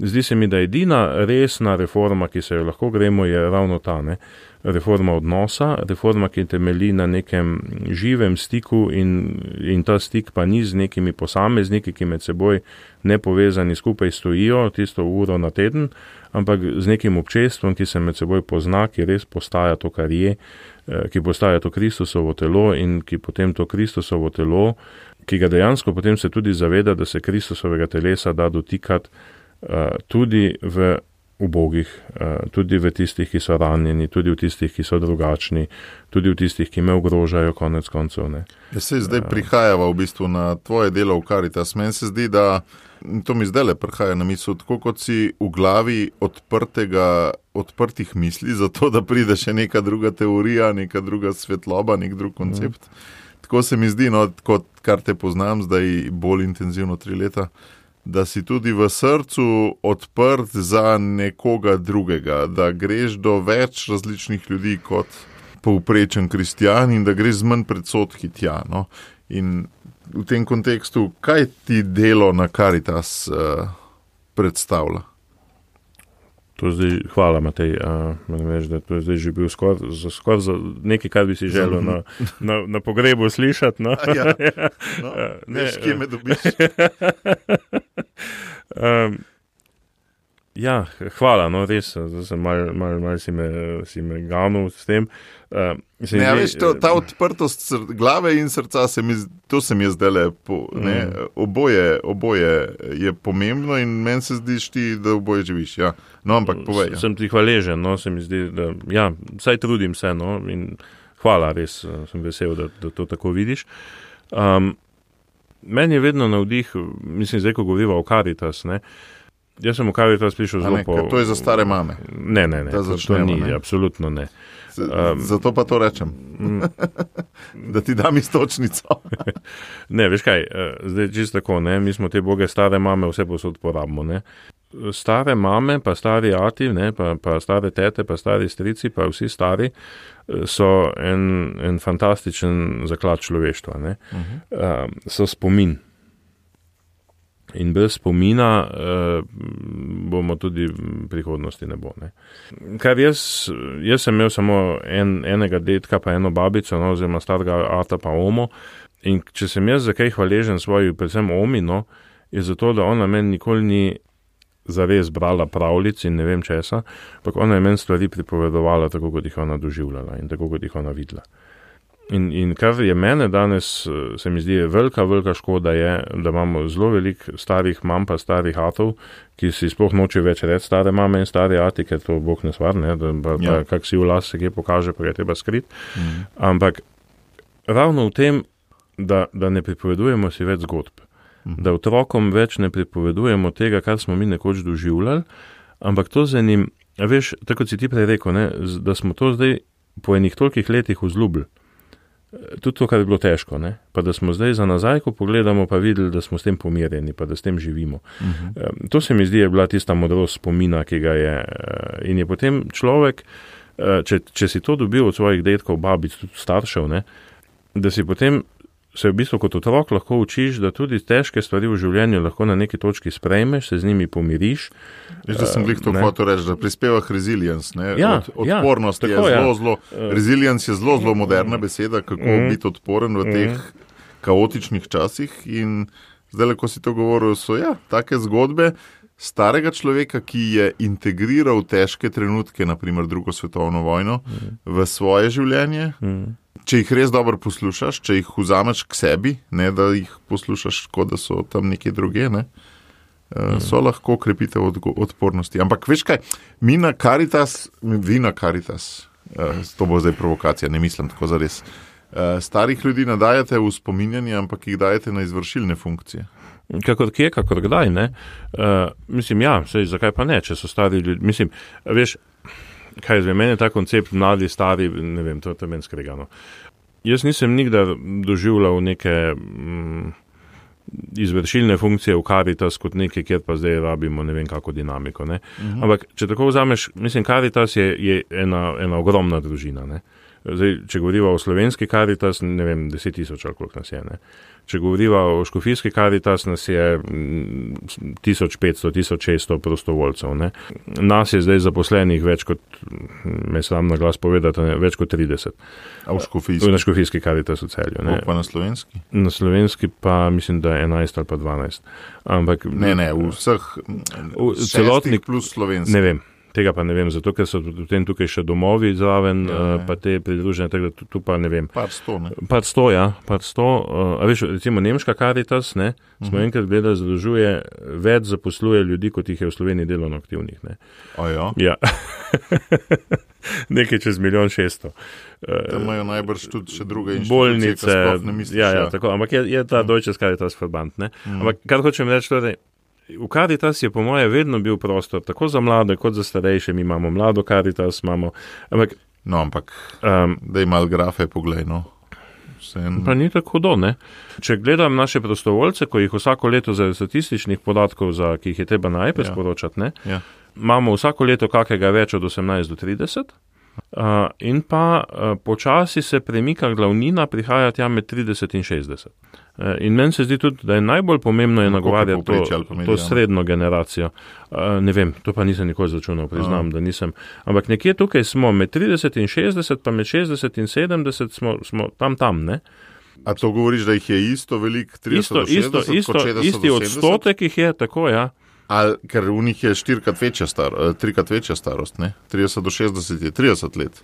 Zdi se mi, da edina resna reforma, ki se jo lahko gremo, je ravno ta, ne, reforma odnosa, reforma, ki temelji na nekem živem stiku in, in ta stik pa ni z nekimi posamezniki, ki med seboj nepovezani skupaj stojijo tisto uro na teden, ampak z nekim občestvom, ki se med seboj pozna, ki res postaja to, kar je, ki postaja to Kristusovo telo in ki potem to Kristusovo telo, ki ga dejansko potem se tudi zaveda, da se Kristusovega telesa da dotikati uh, tudi v ubogih, uh, tudi v tistih, ki so ranjeni, tudi v tistih, ki so drugačni, tudi v tistih, ki me ogrožajo konec koncev. Ne. Ja, se zdaj prihajava v bistvu na tvoje delo v Caritas. Meni se zdi, da to mi zdaj le prihaja na misel, tako kot si v glavi odprtega, odprtih misli, zato da pride še neka druga teorija, neka druga svetloba, nek drug koncept. Mm. Tako se mi zdi, no, kot kar te poznam zdaj bolj intenzivno tri leta, da si tudi v srcu odprt za nekoga drugega, da greš do več različnih ljudi kot povprečen kristjan in da greš z manj predsodki tja. No? In v tem kontekstu, kaj ti delo na Caritas uh, predstavlja? To zdaj, hvala Matej, uh, veš, da to je zdaj že bil skoraj skor za nekaj, kar bi si želel na, na, na pogrebu slišati. No? Ja, no, ne, veš, kje me dobiš. um, ja, hvala, no res, zdaj sem mal, mal, mal si me, si me ganul s tem. Uh, ne, zdaj, veš, to, ta odprtost sr- glave in srca, se mi, to se mi je zdaj lepo. Mm. Oboje, oboje je pomembno in meni se zdiš ti, da oboje živiš. Ja. No, ampak povej. Ja. Sem ti hvaležen, no, se mi zdi, da ja, saj trudim se, no, in hvala, res sem vesel, da, da to tako vidiš. Um, meni je vedno navdih, mislim, zdaj, ko govoriva o Caritas, ne, jaz sem v Caritas prišel zelo po... To je za stare mame. Ne, ne, ne, to, to ni, ne. Absolutno ne. Um, Zato pa to rečem. Da ti dam istočnico. Ne, veš kaj, zdaj čisto tako, ne, mi smo te boge stare mame vse posod porabimo, ne. Stare mame, pa stari ati, ne, pa, pa stare tete, pa stari strici, pa vsi stari so en, en fantastičen zaklad človeštva, ne. Uh-huh. Um, so spomin. In brez spomina eh, bomo tudi v prihodnosti ne bo. Ne. Kar jaz, jaz sem imel samo en, enega detka, pa eno babico, no, oziroma starega ata pa omo. In če sem jaz za kaj hvaležen svoji, predvsem omi, no, je zato, da ona meni nikoli ni zares brala pravljic in ne vem česa, ampak ona je meni stvari pripovedovala tako, kot jih ona doživljala in tako, kot jih ona videla. In, in kar je mene danes, se mi zdi, velika, velika škoda je, da imamo zelo veliko starih mam pa starih atov, ki si sploh noče več reči stare mame in stare ati, ker to Bog ne stvar, ne, da pa, ja. pa kak si v las se kje pokaže, pa je treba skrit. Mm. Ampak ravno v tem, da, da ne pripovedujemo si več zgodb, mm. da otrokom več ne pripovedujemo tega, kar smo mi nekoč doživljali, ampak to z enim, veš, tako si ti prej rekel, ne, da smo to zdaj po enih tolikih letih vzljubili. Tudi to, kar je bilo težko, ne? Pa da smo zdaj za nazaj, ko pogledamo, pa videli, da smo s tem pomirjeni, pa da s tem živimo. Uh-huh. To se mi zdi, je bila tista modrost spomina, ki ga je. In je potem človek, če, če si to dobil od svojih dedkov, babic, tudi staršev, ne? Da si potem se v bistvu kot otrok lahko učiš, da tudi težke stvari v življenju lahko na neki točki sprejmeš, se z njimi pomiriš. Veš, da sem glih to hotel reči, da prispevah resilience, ne? Ja, Od, odpornost ja, je tako, zelo, ja. zelo, resilience je zelo, zelo moderna beseda, kako mm. biti odporen v teh mm. kaotičnih časih in zdaj, ko si to govoril, so ja, take zgodbe, starega človeka, ki je integriral težke trenutke, naprimer drugo svetovno vojno, mm. v svoje življenje. Mm. Če jih res dobro poslušaš, če jih vzameš k sebi, ne da jih poslušaš, kot da so tam nekje druge, ne, so mm. lahko krepitev odpornosti. Ampak veš kaj, mi na Caritas, vi na Caritas, to bo zdaj provokacija, ne mislim tako zares, starih ljudi nadajate v spominjanje, ampak jih dajete na izvršilne funkcije. Kakor kje, kakor kdaj, ne. Uh, mislim, ja, sej, zakaj pa ne, če so stari ljudi, mislim, veš, kaj zvem, meni je ta koncept mladi, stari, ne vem, to je meni skregano. Jaz nisem nikdar doživljal neke mm, izvršilne funkcije v Caritas kot nekaj, kjer pa zdaj rabimo ne vem kako dinamiko, ne. Uh-huh. Ampak, če tako vzameš, mislim, Caritas je, je ena, ena ogromna družina, ne. Zdaj, če govoriva o slovenski Caritas, ne vem, deset tisoč ali koliko nas je, ne. Če govoriva o škofijski Caritas, nas je tisoč petsto, tisoč šeststo prostovoljcev, ne. Nas je zdaj zaposlenih več kot, me sram na glas povedati, ne, več kot trideset. A v škofijski? Na škofijski Caritas v Celju, ne. Pa na slovenski? Na slovenski pa mislim, da je enajst ali pa dvanajst. Ampak, ne, ne, v vseh v šestih plus slovenski. Ne vem. Tega pa ne vem, zato ker so potem tukaj še domovi zraven, ja, pa te pridružene, tako da tu, tu pa ne vem. Par sto, ne? Par sto, ja, par sto. A veš, recimo nemška Caritas, ne, smo uh-huh. enkrat gledali, zadolžuje, več zaposluje ljudi, kot jih je v Sloveniji delovno aktivnih, ne. A ja? Ja. Nekaj čez milijon šeststo. Tam imajo najbrž tudi še druge inštitucije, bolnice, ki sploh ne misliš. Ja, ja, tako, ampak je, je ta uh-huh. Deutsches Caritas Verband, ne. Uh-huh. Ampak kar hočem reči, torej, v Caritas je po moje vedno bil prostor, tako za mlade, kot za starejše. Mi imamo mlado Caritas, imamo... Ampak, no, ampak, um, da imal grafe poglej, no. Sen... Pa ni tako hudo, ne. Če gledam naše prostovoljce, ko jih vsako leto za statističnih podatkov, za, ki jih je treba na iPad ja. sporočati, ne, ja. imamo vsako leto kakega več od osemnajst do trideset. Uh, in pa uh, počasi se premika glavnina, prihaja tja med trideset in šestdeset. Uh, in meni se zdi tudi, da je najbolj pomembno je nagovarjati to, to srednjo generacijo. Uh, ne vem, to pa nisem nikoli začunal, priznam, uh. da nisem. Ampak nekje tukaj smo med trideset in šestdeset, pa med šestdeset in sedemdeset smo, smo tam tam, ne? A to govoriš, da jih je isto veliko trideset do šestdeset, isto, kot šestdeset isti odstotek jih je, tako, ja. Ali, ker v njih je štirikrat večja star, trikrat večja starost, ne? trideset do šestdeset je trideset let,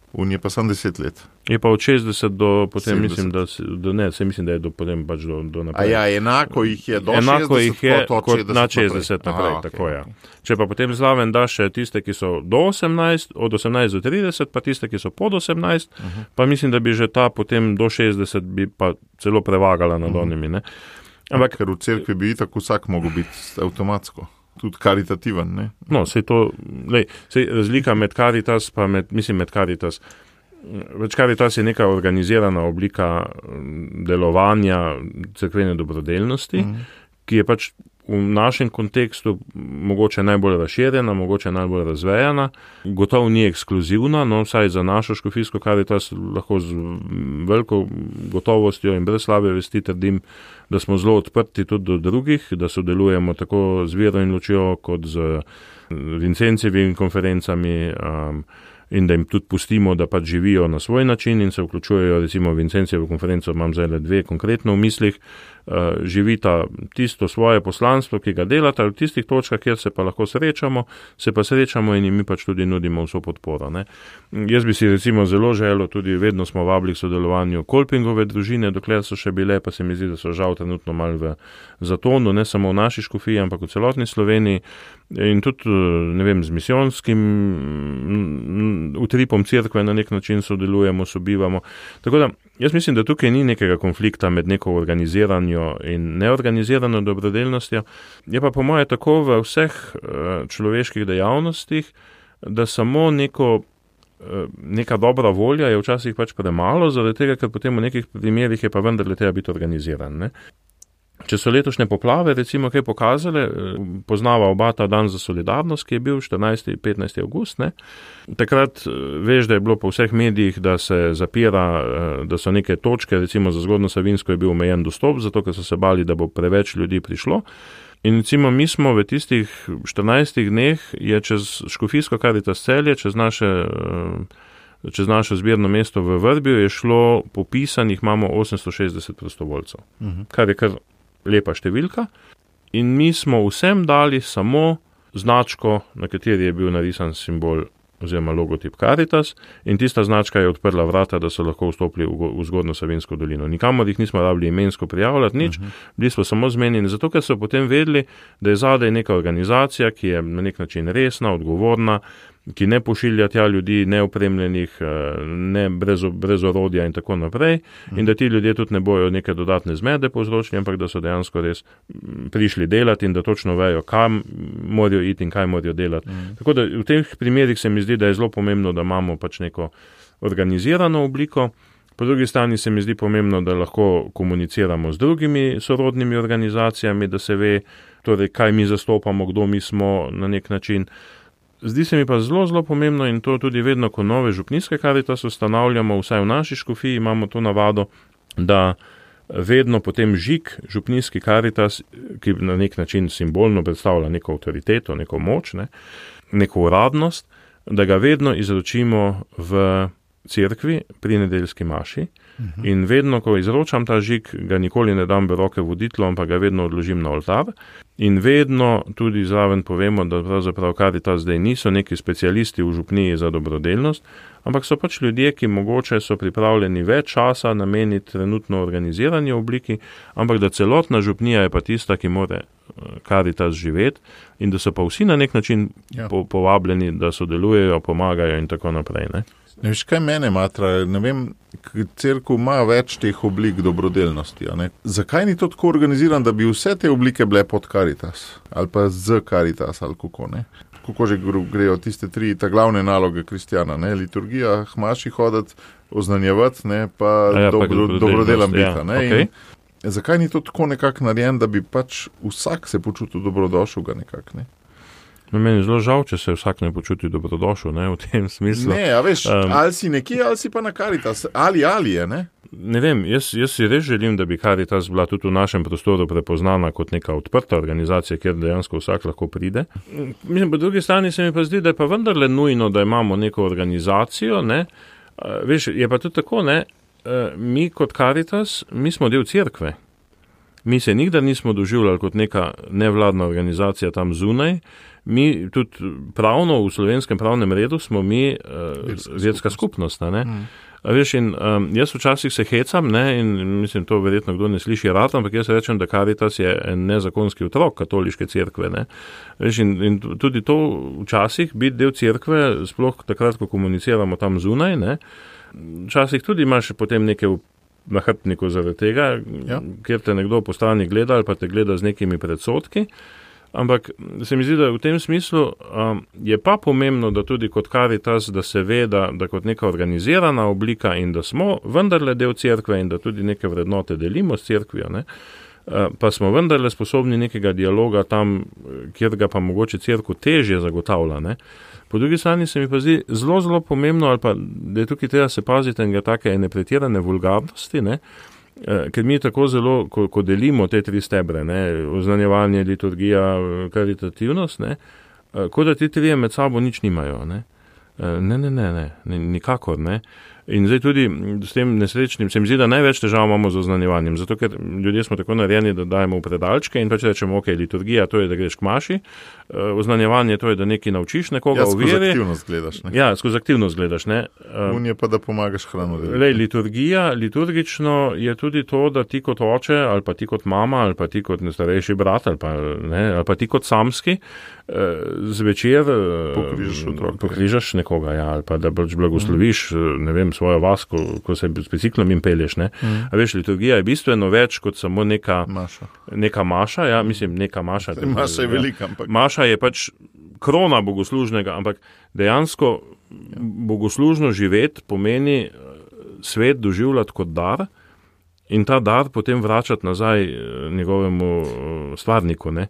v njih je pa samo deset let. Je pa od šestdeset do potem, sedemdeset. Mislim, da, do, ne, se mislim, da je do potem pač do, do naprej. A ja, enako jih je do enako šestdeset, jih je kot, kot šestdeset na šestdeset naprej, Aha, tako okay, ja. okay. Če pa potem zraven daš še tiste, ki so do osemnajst, od osemnajst do trideset, pa tiste, ki so pod osemnajst, uh-huh. pa mislim, da bi že ta potem do šestdeset bi pa celo prevagala nad uh-huh. onimi, ne. Ampak, ker v cerkvi bi tako vsak mogel biti avtomatsko. Tudi karitativen, ne? No, sej to, lej, sej razlika med Caritas, pa med, mislim, med Caritas, več Caritas je neka organizirana oblika delovanja cerkvene dobrodelnosti, mm. ki je pač v našem kontekstu mogoče najbolj razširjena, mogoče najbolj razvejana, gotovo ni ekskluzivna, no vsaj za našo škofijsko Caritas lahko z veliko gotovostjo in brez slabe vesti trdim, da smo zelo odprti tudi do drugih, da sodelujemo tako z Vero in Lučijo kot z Vincencevimi konferencami um, in da jim tudi pustimo, da pač živijo na svoj način in se vključujejo, recimo Vincencevo konferenco imam zdaj dve konkretno v mislih, uh, živita tisto svoje poslanstvo, ki ga delata v tistih točkah, kjer se pa lahko srečamo, se pa srečamo in mi pač tudi nudimo vso podporo. Ne. Jaz bi si recimo zelo želel, tudi vedno smo vabili k sodelovanju Kolpingove družine, dokler so še bile, pa se mi zdi, da so žal trenutno malo v zatonu, ne samo v naši škofiji, ampak v celotni Sloveniji in tudi, ne vem, z misijonskim utripom cerkve na nek način sodelujemo, sobivamo. Tako da, jaz mislim, da tukaj ni nekega konflikta med neko organiziranjo in neorganizirano dobrodelnostjo. Je pa po moje tako v vseh človeških dejavnostih, da samo neko, neka dobra volja je včasih pač premalo, zaradi tega, ker potem v nekih primerih je pa vendarle treba biti organiziran, ne. Če so letošnje poplave recimo kaj pokazale, poznava oba ta dan za solidarnost, ki je bil štirinajsti in petnajsti avgust, ne. Takrat veš, da je bilo po vseh medijih, da se zapira, da so neke točke, recimo za Zgornjo Savinjsko je bil omejen dostop, zato ker so se bali, da bo preveč ljudi prišlo. In recimo mi smo v tistih štirinajstih dneh je čez škofijsko Caritas Celje, čez naše, čez naše zbirno mesto v Vrbju je šlo popisanih, imamo osemsto šestdeset prostovoljcev, uh-huh. kar je kar lepa številka in mi smo vsem dali samo značko, na kateri je bil narisan simbol oziroma logotip Caritas, in tista značka je odprla vrata, da so lahko vstopili v, v Zgornjo Savinjsko dolino. Nikamor jih nismo rabili imensko prijavljati, nič, uh-huh. bili smo samo zmenjeni, zato ker so potem vedeli, da je zadaj neka organizacija, ki je na nek način resna, odgovorna, ki ne pošilja tja ljudi neopremljenih, ne brez, brez orodja in tako naprej, mm. in da ti ljudje tudi ne bojo neke dodatne zmede povzročili, ampak da so dejansko res prišli delati in da točno vejo, kam morajo iti in kaj morajo delati. Mm. Tako da v teh primerih se mi zdi, da je zelo pomembno, da imamo pač neko organizirano obliko. Po drugi strani se mi zdi pomembno, da lahko komuniciramo z drugimi sorodnimi organizacijami, da se ve, torej, kaj mi zastopamo, kdo mi smo na nek način. Zdi se mi pa zelo, zelo pomembno in to tudi vedno, ko nove župnijske Caritas ustanavljamo, vsaj v naši škofiji imamo to navado, da vedno potem žig župnijski Caritas, ki na nek način simbolno predstavlja neko avtoriteto, neko moč, ne, neko uradnost, da ga vedno izročimo v cerkvi pri nedeljski maši. Uh-huh. In vedno, ko izročam ta žig, ga nikoli ne dam v roke voditlu, ampak ga vedno odložim na oltar. In vedno tudi zraven povemo, da pravzaprav Caritas zdaj niso neki specialisti v župniji za dobrodelnost, ampak so pač ljudje, ki mogoče so pripravljeni več časa nameniti trenutno organizirani obliki, ampak da celotna župnija je pa tista, ki more Caritas živeti in da so pa vsi na nek način ja. po, povabljeni, da sodelujejo, pomagajo in tako naprej, ne? Ne veš, kaj mene matra, ne vem, cerkev ima več teh oblik dobrodelnosti, a ne? Zakaj ni to tako organiziran, da bi vse te oblike bile pod Caritas, ali pa z Caritas, ali kako, ne? Kako že grejo tiste tri, ta glavne naloge kristjana, ne? Liturgija, hmaši hoditi, oznanjevati, ne? Pa, ja, dobro, pa dobrodelam biti, ja, ne? Okay. In zakaj ni to tako nekako narejen, da bi pač vsak se počutil dobrodošel ga nekako, ne? No, meni je zelo žal, če se vsak ne počuti dobrodošel, ne, v tem smislu. Ne, a veš, um, ali si nekje, ali si pa na Caritas, ali ali je, ne? Ne vem, jaz, jaz si res želim, da bi Caritas bila tudi v našem prostoru prepoznana kot neka odprta organizacija, kjer dejansko vsak lahko pride. Mislim, po drugi strani se mi pa zdi, da je pa vendarle nujno, da imamo neko organizacijo, ne. Uh, veš, je pa tudi tako, ne, uh, mi kot Caritas, mi smo del cerkve. Mi se nikdar nismo doživljali kot neka nevladna organizacija tam zunaj. Mi tudi pravno v slovenskem pravnem redu smo mi uh, verska skupnost. Ne? Mm. Veš, in, um, jaz včasih se hecam, ne, in mislim, to verjetno kdo ne sliši rad, ampak jaz rečem, da Caritas je en nezakonski otrok katoliške cerkve. Ne? Veš, in, in tudi to včasih biti del cerkve, sploh takrat, ko komuniciramo tam zunaj, ne, včasih tudi imaš potem neke na hrbtniku zaradi tega, ja. Kjer te nekdo po strani gleda ali pa te gleda z nekimi predsodki. Ampak se mi zdi, da v tem smislu um, je pa pomembno, da tudi kot Caritas, da se ve, da, da kot neka organizirana oblika in da smo vendarle del cerkve in da tudi neke vrednote delimo s cerkvijo, ne? Uh, pa smo vendarle sposobni nekega dialoga tam, kjer ga pa mogoče cerkev težje zagotavlja, ne? Po drugi strani se mi pa zdi zelo, zelo pomembno, ali pa da je tukaj treba se paziti enega take ene pretirane vulgarnosti, ne? Ker mi tako zelo, ko, ko delimo te tri stebre, ne, oznanjevanje, liturgija, karitativnost, ne, kot da ti trije med sabo nič nimajo, ne. Ne, ne, ne, ne, nikakor, ne. In zdaj tudi s tem nesrečnim, se mi zdi, da največ težav imamo z oznanjevanjem, zato ker ljudje smo tako narejeni, da dajemo v predalčke in pač rečemo, ok, liturgija, to je, da greš k maši, oznanjevanje, to je, da nekaj naučiš nekoga ja, v veri. Ja, skozi aktivnost gledaš, ne? Ja, skozi aktivnost gledaš, ne. Un je pa, da pomagaš hrano. Lej, liturgija, liturgično je tudi to, da ti kot oče, ali pa ti kot mama, ali pa ti kot starejši brat, ali pa, ne, ali pa ti kot samski, zvečer pokrižaš otroka. Pokrižaš nekoga, ja, ali pa da pač blagosloviš, ne vem, svojo vas, ko, ko se s biciklom in pelješ, ne. Mm. A veš, liturgija je bistveno več kot samo neka maša. Neka maša, ja, mislim, neka maša. Se, maša je velika, ampak. Maša je pač krona bogoslužnega, ampak dejansko ja. Bogoslužno živeti pomeni svet doživljati kot dar in ta dar potem vračati nazaj njegovemu stvarniku, ne.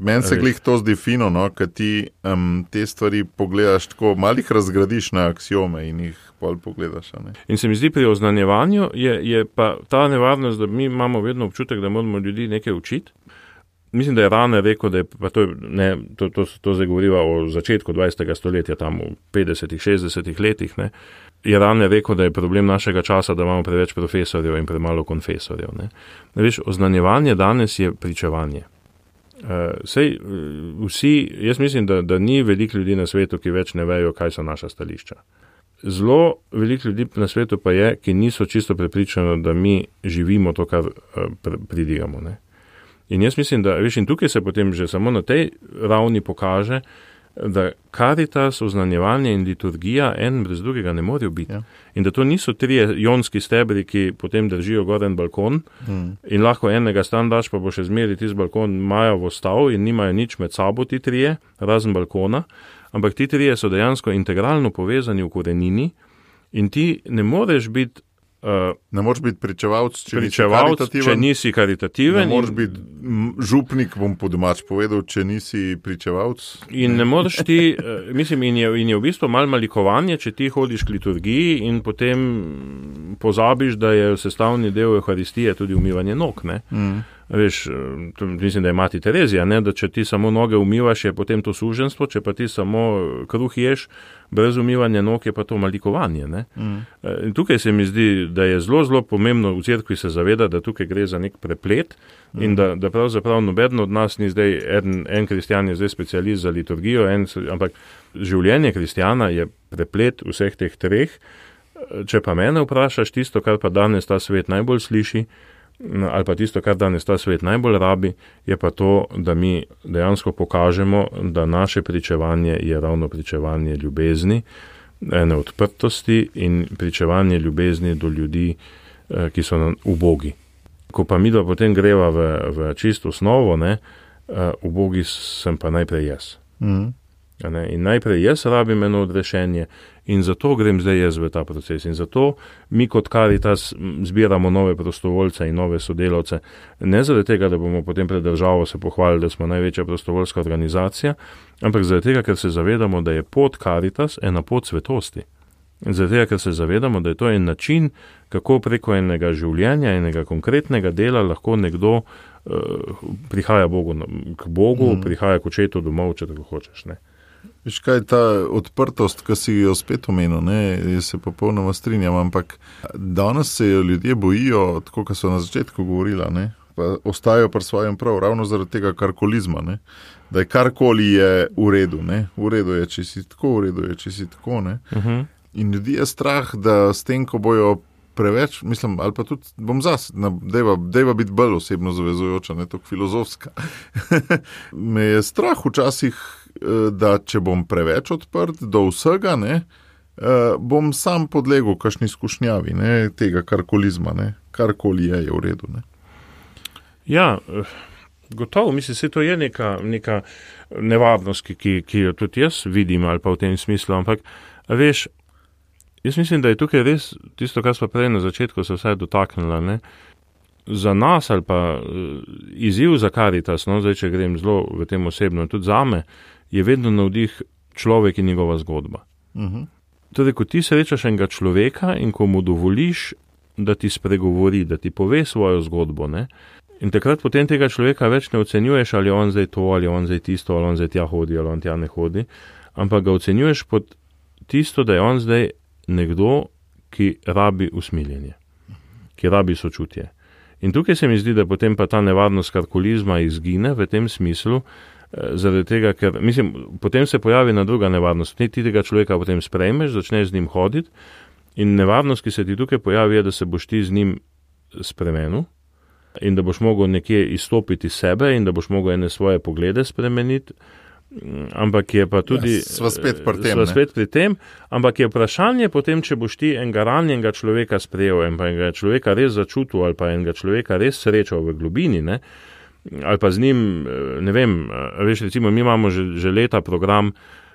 Meni se glih to zdi fino, no, kad ti um, te stvari pogledaš tako, malih razgradiš na aksiome in jih pol pogledaš, ne. In se mi zdi pri oznanjevanju je, je pa ta nevarnost, da mi imamo vedno občutek, da moramo ljudi nekaj učiti. Mislim, da je Rane rekel, da je, pa to, ne, to, to, to zdaj govoriva o začetku dvajsetega stoletja, tam v petdesetih, šestdesetih letih, ne. Je Rane rekel, da je problem našega časa, da imamo preveč profesorjev in premalo konfesorjev, ne. Ne veš, oznanjevanje danes je pričevanje. Uh, sej, vsi, jaz mislim, da, da ni veliko ljudi na svetu, ki več ne vejo, kaj so naša stališča. Zelo veliko ljudi na svetu pa je, ki niso čisto prepričani, da mi živimo to, kar uh, pridigamo. Ne? In jaz mislim, da veš, in tukaj se potem že samo na tej ravni pokaže, da karitas, oznanjevanje in liturgija en brez drugega ne morejo biti. Ja. In da to niso trije jonski stebri, ki potem držijo gor en balkon mm. in lahko enega stan daš, pa bo še zmeri tisti balkon majavo stav in nimajo nič med sabo ti trije, razen balkona, ampak ti trije so dejansko integralno povezani v korenini in ti ne moreš biti Uh, ne moreš biti pričevalc, če, če nisi karitativen. Ne moreš biti župnik, bom po domač povedal, če nisi pričevalc. In ne moreš ti, uh, mislim, in je, in je v bistvu malo malikovanje, če ti hodiš k liturgiji in potem pozabiš, da je sestavni del Euharistije tudi umivanje nog, ne? Mm. Veš, mislim, da je mati Terezija, ne, da če ti samo noge umivaš, je potem to suženstvo, če pa ti samo kruh ješ, brez umivanja nog je pa to malikovanje. Ne. Mm. In tukaj se mi zdi, da je zelo, zelo pomembno v cerkvi se zaveda, da tukaj gre za nek preplet mm. in da, da pravzaprav noben od nas ni zdaj, en, en kristjan je zdaj specialist za liturgijo, en, ampak življenje kristjana je preplet vseh teh treh. Če pa mene vprašaš tisto, kar pa danes ta svet najbolj sliši, ali pa tisto, kar danes ta svet najbolj rabi, je pa to, da mi dejansko pokažemo, da naše pričevanje je ravno pričevanje ljubezni, ene odprtosti in pričevanje ljubezni do ljudi, ki so ubogi. Ko pa mi da potem greva v, v čisto osnovo, ne, ubogi sem pa najprej jaz. Mm. Ne, in najprej jaz rabim eno odrešenje in zato grem zdaj jaz v ta proces. In zato mi kot Karitas zbiramo nove prostovoljce in nove sodelavce. Ne zaradi tega, da bomo potem pred državo se pohvalili, da smo največja prostovoljska organizacija, ampak zaradi tega, ker se zavedamo, da je pot Karitas ena pot svetosti. In zaradi tega, ker se zavedamo, da je to en način, kako preko enega življenja, enega konkretnega dela lahko nekdo uh, prihaja Bogu, k Bogu, mm. prihaja k očetu domov, če tako hočeš, ne. Viš kaj, ta odprtost, ki si jo spet omenil, ne, jaz se popolnoma strinjam, ampak danes se jo ljudje bojijo, tako kot so na začetku govorila, ne, pa ostajajo pri svojem prav, ravno zaradi tega karkolizma, ne, da je karkoli je v redu, ne, v redu je, če si tako, v redu je, če si tako, ne. Uh-huh. In ljudi je strah, da s tem, ko bojo preveč, mislim, ali pa tudi bom zas, dejva, dejva biti bolj osebno zavezujoča, ne, tako filozofska. Me je strah včasih, da če bom preveč odprt do vsega, ne, bom sam podlegel kakšni skušnjavi, ne, tega karkolizma, ne, karkoli je, je v redu, ne. Ja, gotovo, mislim, se to je neka, neka nevarnost, ki, ki jo tudi jaz vidim, ali pa v tem smislu, ampak, veš, jaz mislim, da je tukaj res tisto, kar smo prej na začetku se vsaj dotaknila, ne, za nas ali pa izziv za Karitas, no, zdaj, če grem zelo v tem osebno, tudi zame, je vedno navdih človek in njegova zgodba. Uh-huh. Torej, ko ti srečaš enega človeka in ko mu dovoliš, da ti spregovori, da ti pove svojo zgodbo, ne, in takrat potem tega človeka več ne ocenjuješ, ali je on zdaj to, ali je on zdaj tisto, ali on zdaj tja hodi, ali on tja ne hodi, ampak ga ocenjuješ pod tisto, da je on zdaj nekdo, ki rabi usmiljenje, ki rabi sočutje. In tukaj se mi zdi, da potem pa ta nevarnost karkolizma izgine v tem smislu, zaradi tega, ker, mislim, potem se pojavi na druga nevarnost. Ti tega človeka potem sprejmeš, začneš z njim hoditi in nevarnost, ki se ti tukaj pojavi, je, da se boš ti z njim spremenil in da boš mogel nekje izstopiti sebe in da boš mogel ene svoje poglede spremeniti, ampak je pa tudi... Ja, sva spet pri tem, sva spet pri tem, ampak je vprašanje potem, če boš ti enega ranjenega človeka sprejel in pa enega človeka res začutil ali pa enega človeka res srečal v globini, ne, ali pa z njim, ne vem, veš, recimo, mi imamo že, že leta program,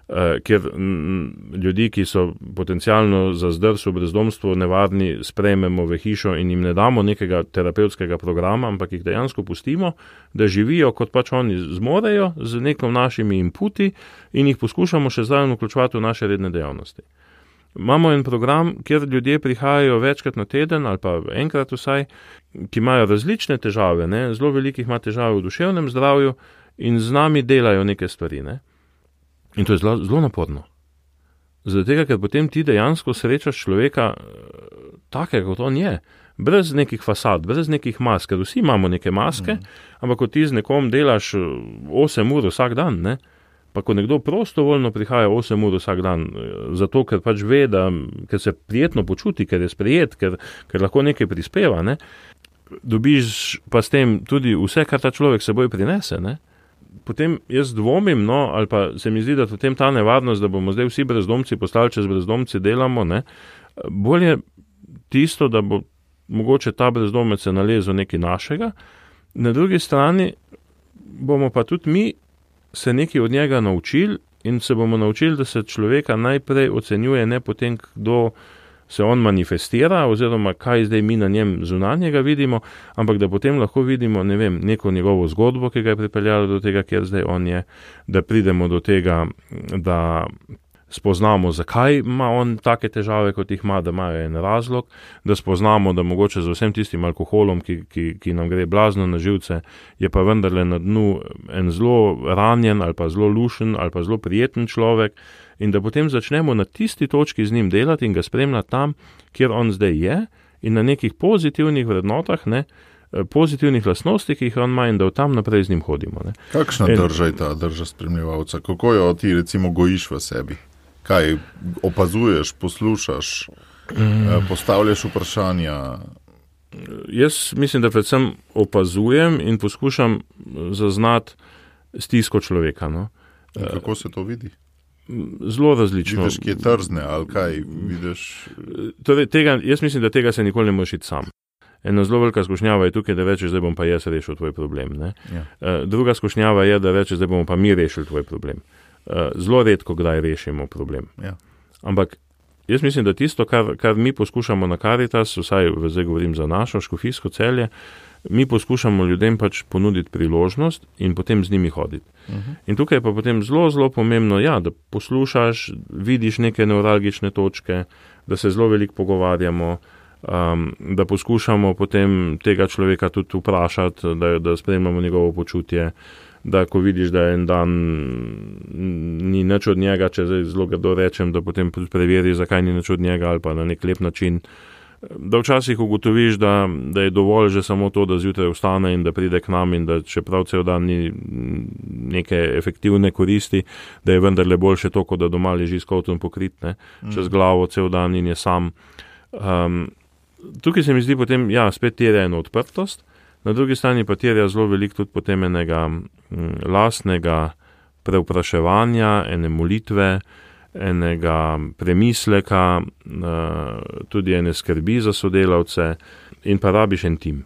eh, kjer m, ljudi, ki so potencialno za zdrs v brezdomstvu nevarni, sprejmemo v hišo in jim ne damo nekega terapevtskega programa, ampak jih dejansko pustimo, da živijo, kot pač oni zmorejo, z nekom našimi inputi in jih poskušamo še zraven vključevati v naše redne dejavnosti. Imamo en program, kjer ljudje prihajajo večkrat na teden ali pa enkrat vsaj, ki imajo različne težave, ne? Zelo velikih ima težave v duševnem zdravju in z nami delajo neke stvari. Ne? In to je zelo, zelo naporno. Zaradi tega, ker potem ti dejansko srečaš človeka takega, kot on je. brez nekih fasad, brez nekih mask, ker vsi imamo neke maske, mm. ampak ko ti z nekom delaš osem ur vsak dan, ne, pa ko nekdo prostovoljno prihaja osem ur vsak dan, zato ker pač ve, da ker se prijetno počuti, ker je sprejet, ker, ker lahko nekaj prispeva, ne, dobiš pa s tem tudi vse, kar ta človek seboj prinese, ne. Potem jaz dvomim, no, ali pa se mi zdi, da potem ta nevarnost, da bomo zdaj vsi brezdomci postali, če z brezdomci delamo, ne, bolje tisto, da bo mogoče ta brezdomec se nalezel nekaj našega, na drugi strani bomo pa tudi mi se nekaj od njega naučili in se bomo naučili, da se človeka najprej ocenjuje ne potem, kdo se on manifestira, oziroma kaj zdaj mi na njem zunanjega vidimo, ampak da potem lahko vidimo, ne vem, neko njegovo zgodbo, ki ga je pripeljalo do tega, kjer zdaj on je, da pridemo do tega, da spoznamo, zakaj ima on take težave, kot jih ima, da imajo en razlog, da spoznamo, da mogoče z vsem tistim alkoholom, ki, ki, ki nam gre blazno na živce, je pa vendarle na dnu en zelo ranjen ali pa zelo lušen ali pa zelo prijeten človek, in da potem začnemo na tisti točki z njim delati in ga spremljati tam, kjer on zdaj je, in na nekih pozitivnih vrednotah, ne, pozitivnih lastnosti, ki jih on ima, in da v tam naprej z njim hodimo. Ne. Kakšna in... drža je ta drža spremljevalca? Kako jo ti recimo gojiš v sebi? Kaj opazuješ, poslušaš, mm. postavljaš vprašanja? Jaz mislim, da predvsem opazujem in poskušam zaznati stisko človeka. No. Kako se to vidi? Zelo različno. Vidiš, ki je trzne, ali kaj vidiš? Torej, tega, jaz mislim, da tega se nikoli ne moreš iti sam. Ena zelo velika skušnjava je tukaj, da rečeš, zdaj bom pa jaz rešil tvoj problem. Ne? Ja. Druga skušnjava je, da rečeš, zdaj bomo pa mi rešili tvoj problem. Zelo redko kdaj rešimo problem. Ja. Ampak jaz mislim, da tisto, kar, kar mi poskušamo na Karitas, vsaj zdaj govorim za našo škofijsko Celje, mi poskušamo ljudem pač ponuditi priložnost in potem z njimi hoditi. Uh-huh. In tukaj je pa potem zelo, zelo pomembno, ja, da poslušaš, vidiš neke nevralgične točke, da se zelo veliko pogovarjamo, um, da poskušamo potem tega človeka tudi vprašati, da, da spremljamo njegovo počutje, da ko vidiš, da en dan ni nič od njega, če zdaj zelo grdo rečem, da potem preveri, zakaj ni nič od njega, ali pa na nek lep način, da včasih ugotoviš, da, da je dovolj že samo to, da zjutraj vstane in da pride k nam in da čeprav cel dan ni neke efektivne koristi, da je vendarle boljše to, kot da doma leži s kotom pokrit, ne, čez glavo cel dan in je sam. Um, tukaj se mi zdi potem, ja, spet terja eno odprtost, na drugi strani pa terja zelo veliko tudi potem enega m, lastnega prevpraševanja, ene molitve, enega premisleka, tudi ene skrbi za sodelavce in pa rabiš en tim.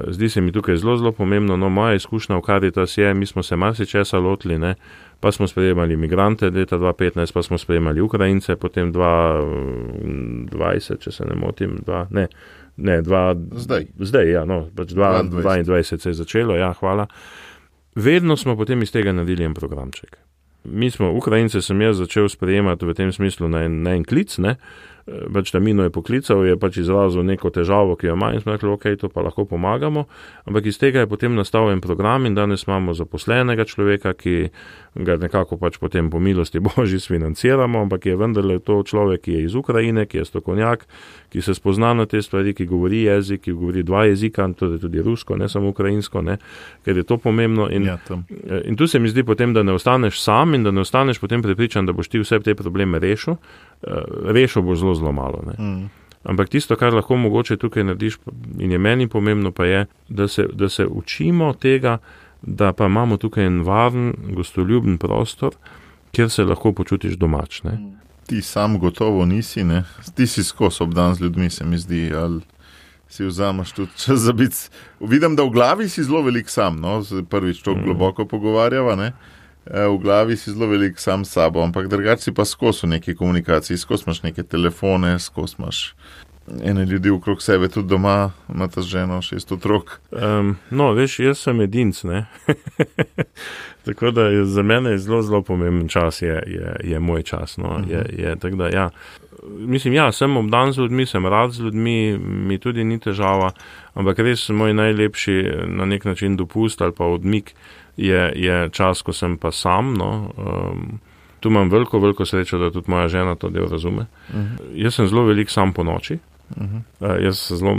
Zdi se mi tukaj zelo, zelo pomembno, no, moja izkušnja v Karitas je, mi smo se marsičesa lotili, ne, pa smo sprejemali migrante leta dva petnajst, pa smo sprejemali Ukrajince, potem dva dvajset, če se ne motim, dva, ne, ne, dva, zdaj, zdaj, ja, no, pač dva dvajset se je začelo, ja, hvala. Vedno smo potem iz tega naredili en programček. Mi smo, Ukrajince sem jaz začel sprejemati v tem smislu na en, na en klic, ne, pač Tamino je poklical, je pač izrazil neko težavo, ki jo ima in smo rekli, ok, to pa lahko pomagamo, ampak iz tega je potem nastal en program in danes imamo zaposlenega človeka, ki ga nekako pač potem po milosti Božji sfinanciramo, ampak je vendarle to človek, ki je iz Ukrajine, ki je strokovnjak, ki se spozna na te stvari, ki govori jezik, ki govori dva jezika, tudi, tudi rusko, ne samo ukrajinsko, ne, ker je to pomembno in, ja, in tu se mi zdi potem, da ne ostaneš sam in da ne ostaneš potem prepričan, da boš ti vse te probleme rešil, rešil boš zelo, zelo malo. Ne. Mm. Ampak tisto, kar lahko mogoče tukaj narediš in je meni pomembno, pa je, da se, da se učimo tega, da pa imamo tukaj en varen, gostoljuben prostor, kjer se lahko počutiš domač. Ne. Ti sam gotovo nisi, ne? Ti si skos obdan z ljudmi, se mi zdi, ali si vzamaš tudi čas za biti. Vidim, da v glavi si zelo velik sam, no? Prvič to mm. globoko pogovarjava, ne? V glavi si zelo velik sam s sabo, ampak drugače si pa skos v neki komunikaciji, skos imaš neke telefone, skos imaš ene ljudi okrog sebe, tudi doma, imate ženo, šest otrok. Um, no, veš, jaz sem edinc, ne? Tako da je, za mene je zelo, zelo pomemben čas, je, je, je moj čas, no, uh-huh. je, je, tako da, ja. Mislim, ja, sem obdan z ljudmi, sem rad z ljudmi, mi tudi ni težava, ampak res moj najlepši na nek način dopust ali pa odmik je, je čas, ko sem pa sam, no, um, tu imam veliko, veliko srečo, da tudi moja žena to del razume. Uh-huh. Jaz sem zelo velik sam po noči, Uh-huh. Uh, jaz zelo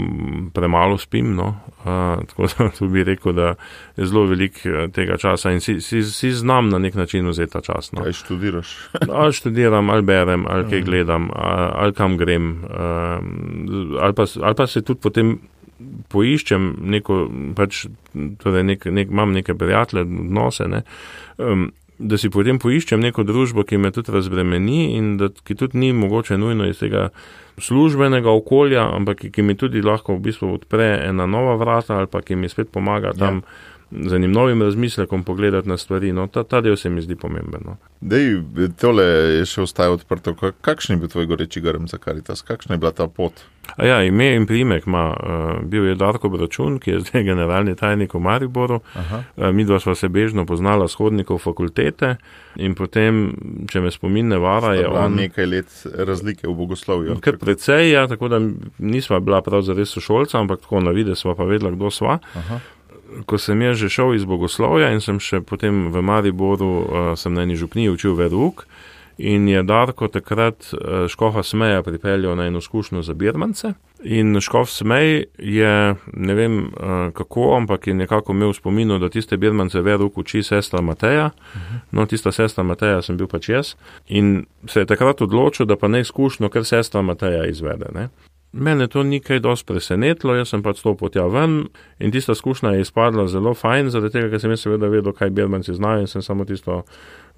premalo spim, no. uh, tako da tu bi rekel, da je zelo velik tega časa in si, si, si znam na nek način vzeti ta čas. No. Kaj študiraš? ali študiram, ali berem, ali kaj gledam, ali, ali kam grem, uh, ali, pa, ali pa se tudi potem poiščem neko, pač, torej nek, nek, imam neke prijatelje, odnose, ne, um, da si potem poiščem neko družbo, ki me tudi razbremeni in da, ki tudi ni mogoče nujno iz tega službenega okolja, ampak ki, ki mi tudi lahko v bistvu odpre ena nova vrata ali pa ki mi spet pomaga tam ja. z enim novim razmislekom pogledati na stvari. No, ta, ta del se mi zdi pomemben. No. Dej, tole je še ostaje odprto. Kakšen je bil tvoj goreči grm za Karitas? Kakšna je bila ta pot? A ja, ime in priimek ima. Uh, bil je Darko Bračun, ki je zdaj generalni tajnik v Mariboru. Uh, midva sva se bežno poznala s hodnikov fakultete in potem, če me spomin ne vara, je on... nekaj let razlike v bogoslovju. Kar precej, ja, tako da nisva bila prav zares sošolca, ampak tako na vide sva pa vedela, kdo sva. Aha. Ko sem jaz že šel iz bogoslovja in sem še potem v Mariboru, uh, sem na eni župniji učil verouk in je Darko takrat uh, škofa Smeja pripeljal na eno izkušnjo za birmance in škof Smej je, ne vem uh, kako, ampak je nekako imel v spominu, da tiste birmance verouk uči sestra Mateja, uh-huh. no tista sestra Mateja sem bil pač jaz in se je takrat odločil, da pa ne izkušnjo, ker sestra Mateja izvede, ne. Mene to ni kaj dosti presenetilo, jaz sem pač stopil tja ven in tista izkušnja je izpadla zelo fajn, zaradi tega, ker sem jaz seveda vedel, kaj birmanci znajo in sem samo tisto,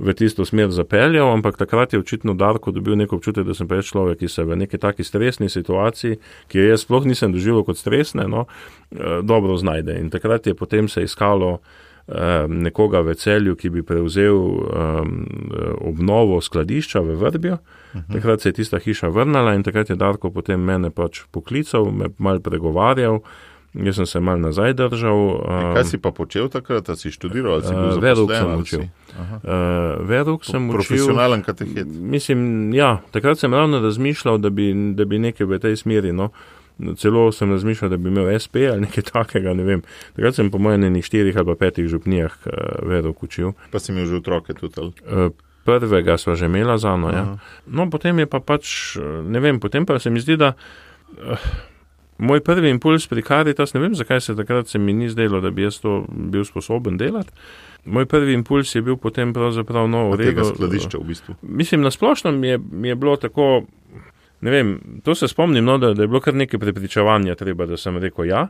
v tisto smer zapeljal, ampak takrat je očitno Darko dobil neko občutek, da sem pa človek, ki se v neki taki stresni situaciji, ki jo jaz sploh nisem doživel kot stresne, no, dobro znajde. In takrat je potem se iskalo nekoga v Celju, ki bi prevzel um, obnovo skladišča v Vrbju. Uh-huh. Takrat se je tista hiša vrnala in takrat je Darko potem mene pač poklical, me mal pregovarjal, jaz sem se mal nazaj držal. Um, kaj si pa počel takrat, da si študiral, ali si bil zaposlen? Verouk sem učil. Uh, Verouk sem učil. Profesionalen katehet. Mislim, ja, takrat sem ravno razmišljal, da bi, da bi nekaj v tej smeri, no. Celo sem razmišljal, da bi imel es pe ali nekaj takega, ne vem. Takrat sem po mojem enih štirih ali pa petih župnijah uh, verouk učil. Pa si imel že otroke tudi, ali? Uh, prvega sva že imela zano, ja. No, potem je pa pač, ne vem, potem pa se mi zdi, da uh, moj prvi impuls pri Karitas, ne vem, zakaj se takrat se mi ni zdelo, da bi jaz to bil sposoben delati. Moj prvi impuls je bil potem pravzaprav no, v redu. Tega skladišča v bistvu. Mislim, na splošno mi je, mi je bilo tako... Ne vem, to se spomnim, no, da, da je bilo kar nekaj prepričevanja treba, da sem rekel ja,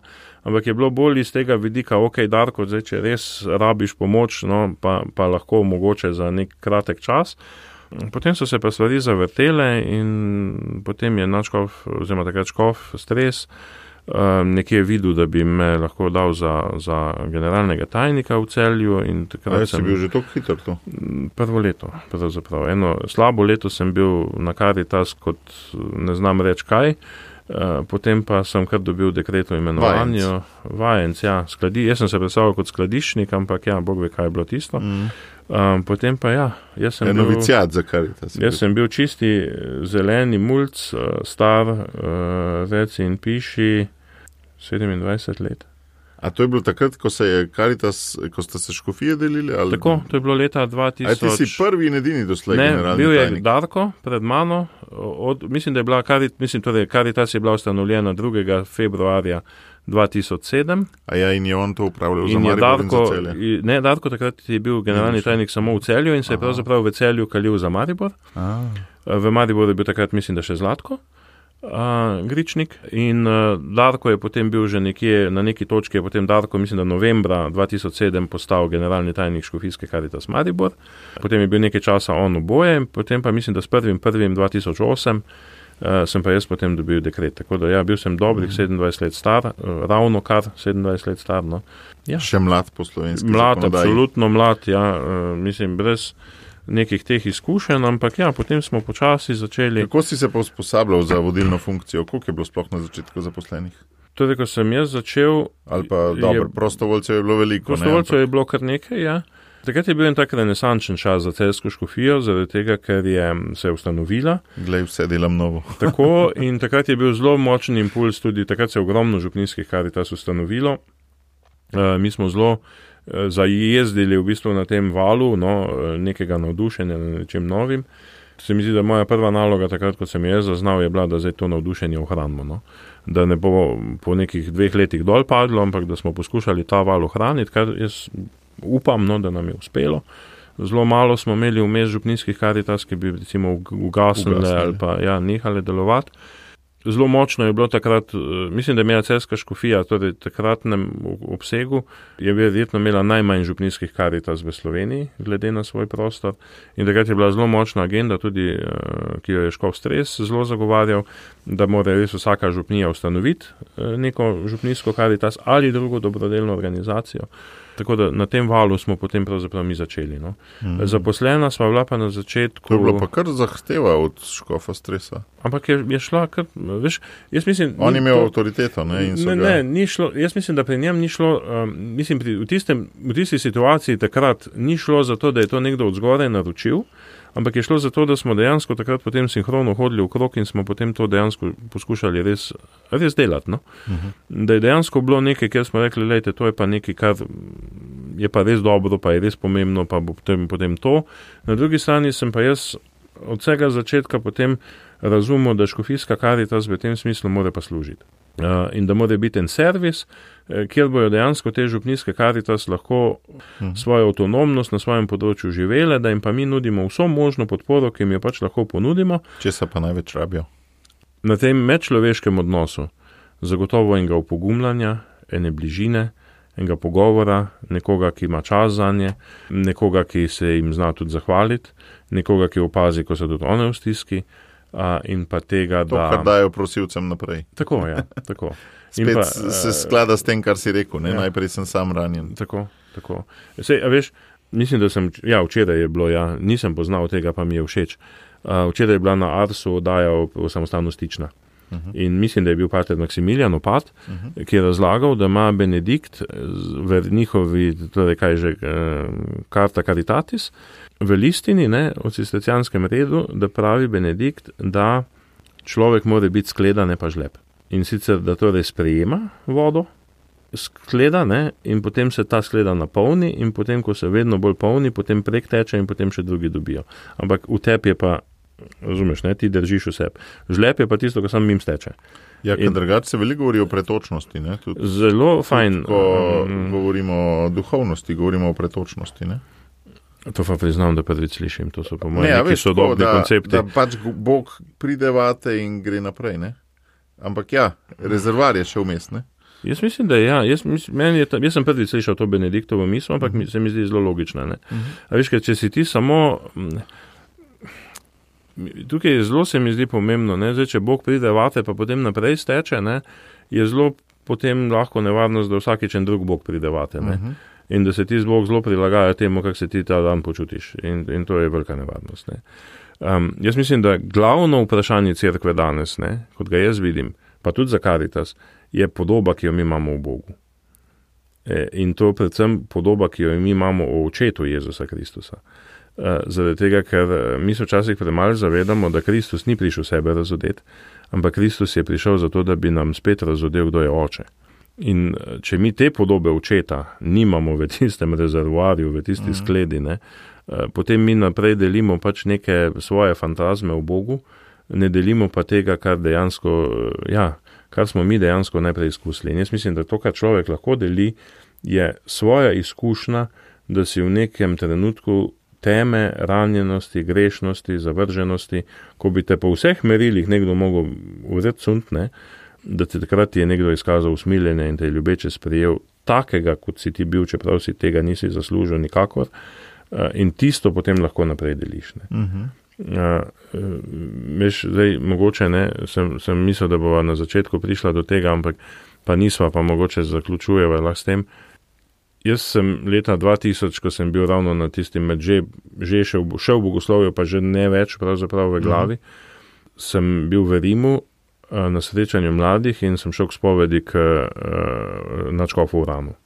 ampak je bilo bolj iz tega vidika, ok, Darko, zdaj, če res rabiš pomoč, no, pa, pa lahko mogoče za nek kratek čas. Potem so se pa stvari zavrtele in potem je naš škof, oziroma takrat škof Stres, um, nekje videl, da bi me lahko dal za, za generalnega tajnika v Celju. In takrat A, sem si bil že toliko hitro to? Prvo leto, pravzaprav. Eno slabo leto sem bil na Karitas kot ne znam reči kaj, uh, potem pa sem kar dobil dekret o imenovanju. Vajenc, ja, skladi. Jaz sem se predstavljal kot skladiščnik, ampak ja, Bog ve, kaj je bilo tisto. Mm. Um, potem pa ja, jaz sem bil... Novicijat za Karitas. Jaz sem bil čisti zeleni mulc, star, uh, reci in piši, sedemindvajset let. A to je bilo takrat, ko se je Karitas, ko ste se škofije delili? Ali... Tako, to je bilo leta dva tisoč. A ti si prvi in edini doslej generalni tajnik? Ne, bil je Darko pred mano, od, mislim, da je bila Karitas, mislim, torej Karitas je bila ustanovljena drugega februarja dva tisoč sedem. A ja, in je on to upravljal za Maribor in za Celje? Ne, Darko takrat je bil generalni tajnik samo v Celju in se je pravzaprav v Celju kalil za Maribor. Aha. V Mariboru je bil takrat, mislim, da še Zlatko. Uh, Gričnik in uh, Darko je potem bil že nekje, na neki točki je potem Darko, mislim, da novembra dva tisoč sedem postal generalni tajnik škofijske Karitas Maribor, potem je bil nekaj časa on oboje, potem pa mislim, da s prvim prvim dva tisoč osem uh, sem pa jaz potem dobil dekret, tako da ja, bil sem dobrih mm. sedemindvajset let star, uh, ravno kar sedemindvajset let star, no. Ja. Še mlad po slovenski mlad, zakonodaji. Absolutno mlad, ja, uh, mislim, brez nekih teh izkušenj, ampak ja, potem smo počasi začeli. Kako si se pa usposabljal za vodilno funkcijo? Koliko je bilo sploh na začetku zaposlenih? Torej, ko sem jaz začel... Ali pa, dobro, prostovoljcev je bilo veliko. Prostovoljcev je bilo kar nekaj, ja. Takrat je bil en tak renesančen čas za celjsko škofijo, zaradi tega, ker je se je ustanovila. Glej, vse delam novo. Tako, in takrat je bil zelo močen impuls, tudi takrat se je ogromno župnijskih Karitas ustanovilo. Uh, mi smo zelo zajezdili v bistvu na tem valu, no, nekega navdušenja na nečem novim Se mi zdi, da moja prva naloga, takrat, ko sem jaz zaznal, je bila, da zdaj to navdušenje ohranimo. No? Da ne bo po nekih dveh letih dol padlo, ampak da smo poskušali ta val ohraniti, kar jaz upam, no, da nam je uspelo. Zelo malo smo imeli vmes župnijskih Karitas, ki bi recimo ugasnile ali pa ja, nehale delovati. Zelo močno je bilo takrat, mislim, da je imela Celjska škofija, torej v takratnem obsegu, je verjetno imela najmanj župnijskih Karitas v Sloveniji, glede na svoj prostor. In takrat je bila zelo močna agenda, tudi, ki jo je Škof Stres zelo zagovarjal, da mora res vsaka župnija ustanoviti neko župnijsko Karitas ali drugo dobrodelno organizacijo. Tako da na tem valu smo potem pravzaprav mi začeli. No. Mm. Zaposlena sva bila pa na začetku... To je bilo pa kar zahteva od Škofa Stresa. Ampak je, je šla kar, veš, jaz mislim... On imel to, avtoriteto, ne? In so ne, ga... ne, ni šlo, jaz mislim, da pri njem ni šlo, um, mislim, pri, v, tistem, v tisti situaciji takrat ni šlo za to, da je to nekdo od zgoraj naročil, ampak je šlo za to, da smo dejansko takrat potem sinhrono hodili v krog in smo potem to dejansko poskušali res, res delati. No? Uh-huh. Da je dejansko bilo nekaj, kjer smo rekli, lejte, to je pa nekaj, kar je pa res dobro, pa je res pomembno, pa bo potem, potem to. Na drugi strani sem pa jaz od vsega začetka potem razumel, da škofijska Karitas v tem smislu mora pa služiti. Uh, in da mora biti en servis, kjer bojo dejansko te župnijske Karitas lahko hmm. svojo avtonomnost na svojem področju živele, da jim pa mi nudimo vso možno podporo, ki jim jo pač lahko ponudimo. Česa pa največ rabijo? Na tem medčloveškem odnosu, zagotovo enega upogumljanja, ene bližine, enega pogovora, nekoga, ki ima čas zanje, nekoga, ki se jim zna tudi zahvaliti, nekoga, ki opazi, ko so tudi one v stiski. Uh, in pa tega, to, da... kar dajo prosilcem naprej. Tako, ja, tako. Spet pa, se sklada s tem, kar si rekel, ne? Ja. Najprej sem sam ranjen. Tako, tako. Sej, a veš, mislim, da sem, ja, včeraj je bilo, ja, nisem poznal tega, pa mi je všeč. Uh, včeraj je bila na Arsu oddaja o, o samostalnostična. Uh-huh. In mislim, da je bil pater Maksimilijan Opat, uh-huh. ki je razlagal, da ima Benedikt v njihovi, torej kaj že, Carta Caritatis, v listini, ne, o cistercijanskem redu, da pravi Benedikt, da človek mora biti skleda, ne pa žleb. In sicer, da torej sprejema vodo, skleda, ne, in potem se ta skleda napolni in potem, ko se vedno bolj polni, potem prek teče in potem še drugi dobijo. Ampak v tebi je pa, razumeš, ne, ti držiš vse. Žleb je pa tisto, ko sam mim steče. Ja, ker drugače se veliko govori o pretočnosti, ne? Tudi, zelo fajn. Tudi, ko um, govorimo o duhovnosti, govorimo o pretočnosti, ne? To pa priznam, da prvič slišim. To so po mojem ja, neki sodobni da, koncepti. Da pač Bog pride vate in gre naprej, ne? Ampak ja, rezervar je še vmes, ne? Jaz mislim, da ja. Jaz, meni je ta, jaz sem prvič slišal to Benediktovo misel, ampak uh-huh. se mi zdi zelo logična, ne? Uh-huh. A veš, ker če si ti samo... Tukaj zelo se mi zdi pomembno, ne? Zdaj, če Bog pride vate, pa potem naprej steče, ne? Je zelo potem lahko nevarnost, da vsakič en drug Bog pride vate, ne? Uh-huh. In da se ti Bog zelo prilagaja temu, kako se ti ta dan počutiš. In, in to je velika nevarnost. Ne. Um, jaz mislim, da glavno vprašanje cerkve danes, ne, kot ga jaz vidim, pa tudi za Karitas, je podoba, ki jo mi imamo v Bogu. E, in to predvsem podoba, ki jo mi imamo o očetu Jezusa Kristusa. E, zaradi tega, ker mi se včasih premalo zavedamo, da Kristus ni prišel sebe razodeti, ampak Kristus je prišel zato, da bi nam spet razodel, kdo je oče. In če mi te podobe očeta nimamo v tistem rezervoarju, v tisti uh-huh. skledi, ne, potem mi naprej delimo pač neke svoje fantazme v Bogu, ne delimo pa tega, kar dejansko, ja, kar smo mi dejansko najprej izkusili. In jaz mislim, da to, kar človek lahko deli, je svoja izkušnja, da si v nekem trenutku teme, ranjenosti, grešnosti, zavrženosti, ko bi te po vseh merilih nekdo mogel vzeti sunt, ne, da te takrat je nekdo izkazal usmiljenje in te je ljubeče sprejel takega, kot si ti bil, čeprav si tega nisi zaslužil nikakor, in tisto potem lahko naprej deliš. Ne. Uh-huh. Uh, veš, zdaj, mogoče ne, sem, sem mislil, da bova na začetku prišla do tega, ampak pa nisva, pa mogoče zaključujeva lahko s tem. Jaz sem leta dva tisoč, ko sem bil ravno na tistim med že, že šel, šel v bogoslovju, pa že ne več pravzaprav v glavi, uh-huh. sem bil v Rimu na srečanju mladih in sem šel k spovedi k uh, nadškofu Uranu.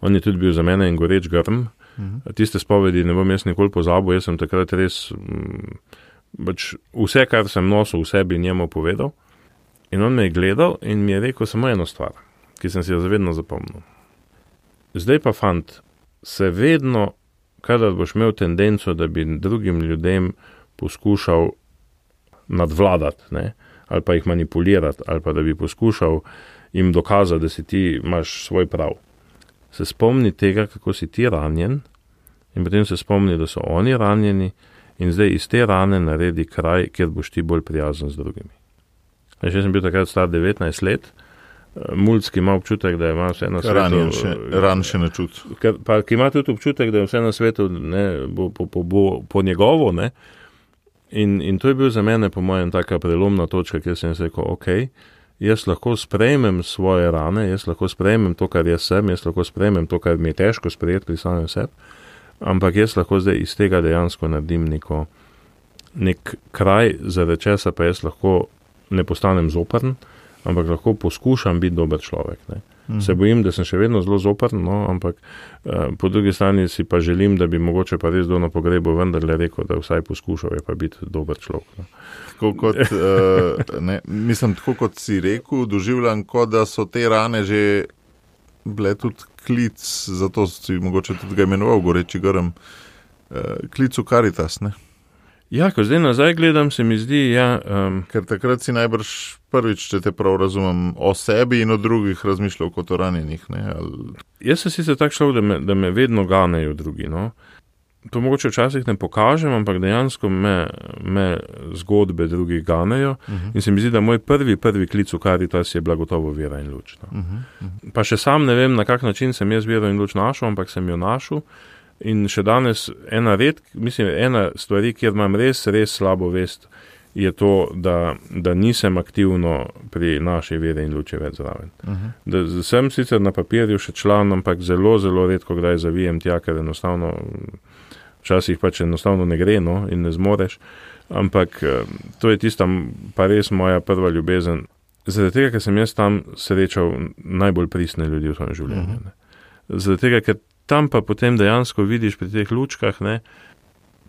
On je tudi bil za mene en goreč grm. Uh-huh. Tiste spovedi ne bom jaz nikoli pozabil, jaz sem takrat res m, bač vse, kar sem nosil v sebi, njemu povedal. In on me je gledal in mi je rekel samo eno stvar, ki sem si jo zavedno zapomnil. Zdaj pa, fant, se vedno kadar boš imel tendenco, da bi drugim ljudem poskušal nadvladati, ne, ali pa jih manipulirati, ali pa da bi poskušal jim dokazati, da si ti imaš svoj prav. Se spomni tega, kako si ti ranjen, in potem se spomni, da so oni ranjeni, in zdaj iz te rane naredi kraj, kjer boš ti bolj prijazen z drugimi. Jaz sem bil takrat star devetnajst let, mulski ima občutek, da ima vse na svetu. Ranjen še, ran še ne čut. Pa ki ima tudi občutek, da je vse na svetu ne, bo, bo, bo, bo po njegovo, ne. In, in to je bil za mene, po mojem, taka prelomna točka, kjer sem rekel, ok, jaz lahko sprejmem svoje rane, jaz lahko sprejmem to, kar jaz sem, jaz lahko sprejmem to, kar mi je težko sprejeti pri samem sebi, ampak jaz lahko zdaj iz tega dejansko naredim neko, nek kraj, zaradi česa pa jaz lahko ne postanem zoprn, ampak lahko poskušam biti dober človek. Ne. Mm. Se bojim, da sem še vedno zelo zoprn, no, ampak uh, po drugi strani si pa želim, da bi mogoče pa res do na pogrebu vendarle rekel, da vsaj poskušal je pa biti dober človek. No. Tako kot, uh, ne, mislim, tako kot si rekel, doživljam, kot da so te rane že bile tudi klic, zato si mogoče tudi ga imenoval Goreči grm, uh, klic v Karitas, ne? Ja, ko zdaj nazaj gledam, se mi zdi, ja... Um, Ker takrat si najbrž prvič, če te prav razumem, o sebi in o drugih razmišljal kot o ranjenih, ne? Ali... Jaz sem sicer tak šel, da me, da me vedno ganejo drugi, no. To mogoče včasih ne pokažem, ampak dejansko me, me zgodbe drugih ganejo uh-huh. in se mi zdi, da moj prvi, prvi klic v Karitas je bila gotovo vera in luč. No. Uh-huh. Uh-huh. Pa še sam ne vem, na kak način sem jaz vero in luč našel, ampak sem jo našel. In še danes ena red, mislim, ena stvari, kjer imam res, res slabo vest, je to, da, da nisem aktivno pri naši veri in luči več zraven. Uh-huh. Da sem sicer na papirju še član, ampak zelo, zelo redko kdaj zavijem tja, ker enostavno, včasih pač enostavno ne gre, no, in ne zmoreš, ampak to je tista pa res moja prva ljubezen. Zaradi tega, ker sem jaz tam srečal najbolj pristne ljudi v svojem življenju. Uh-huh. Zaradi tega, ker tam pa potem dejansko vidiš pri teh lučkah, ne,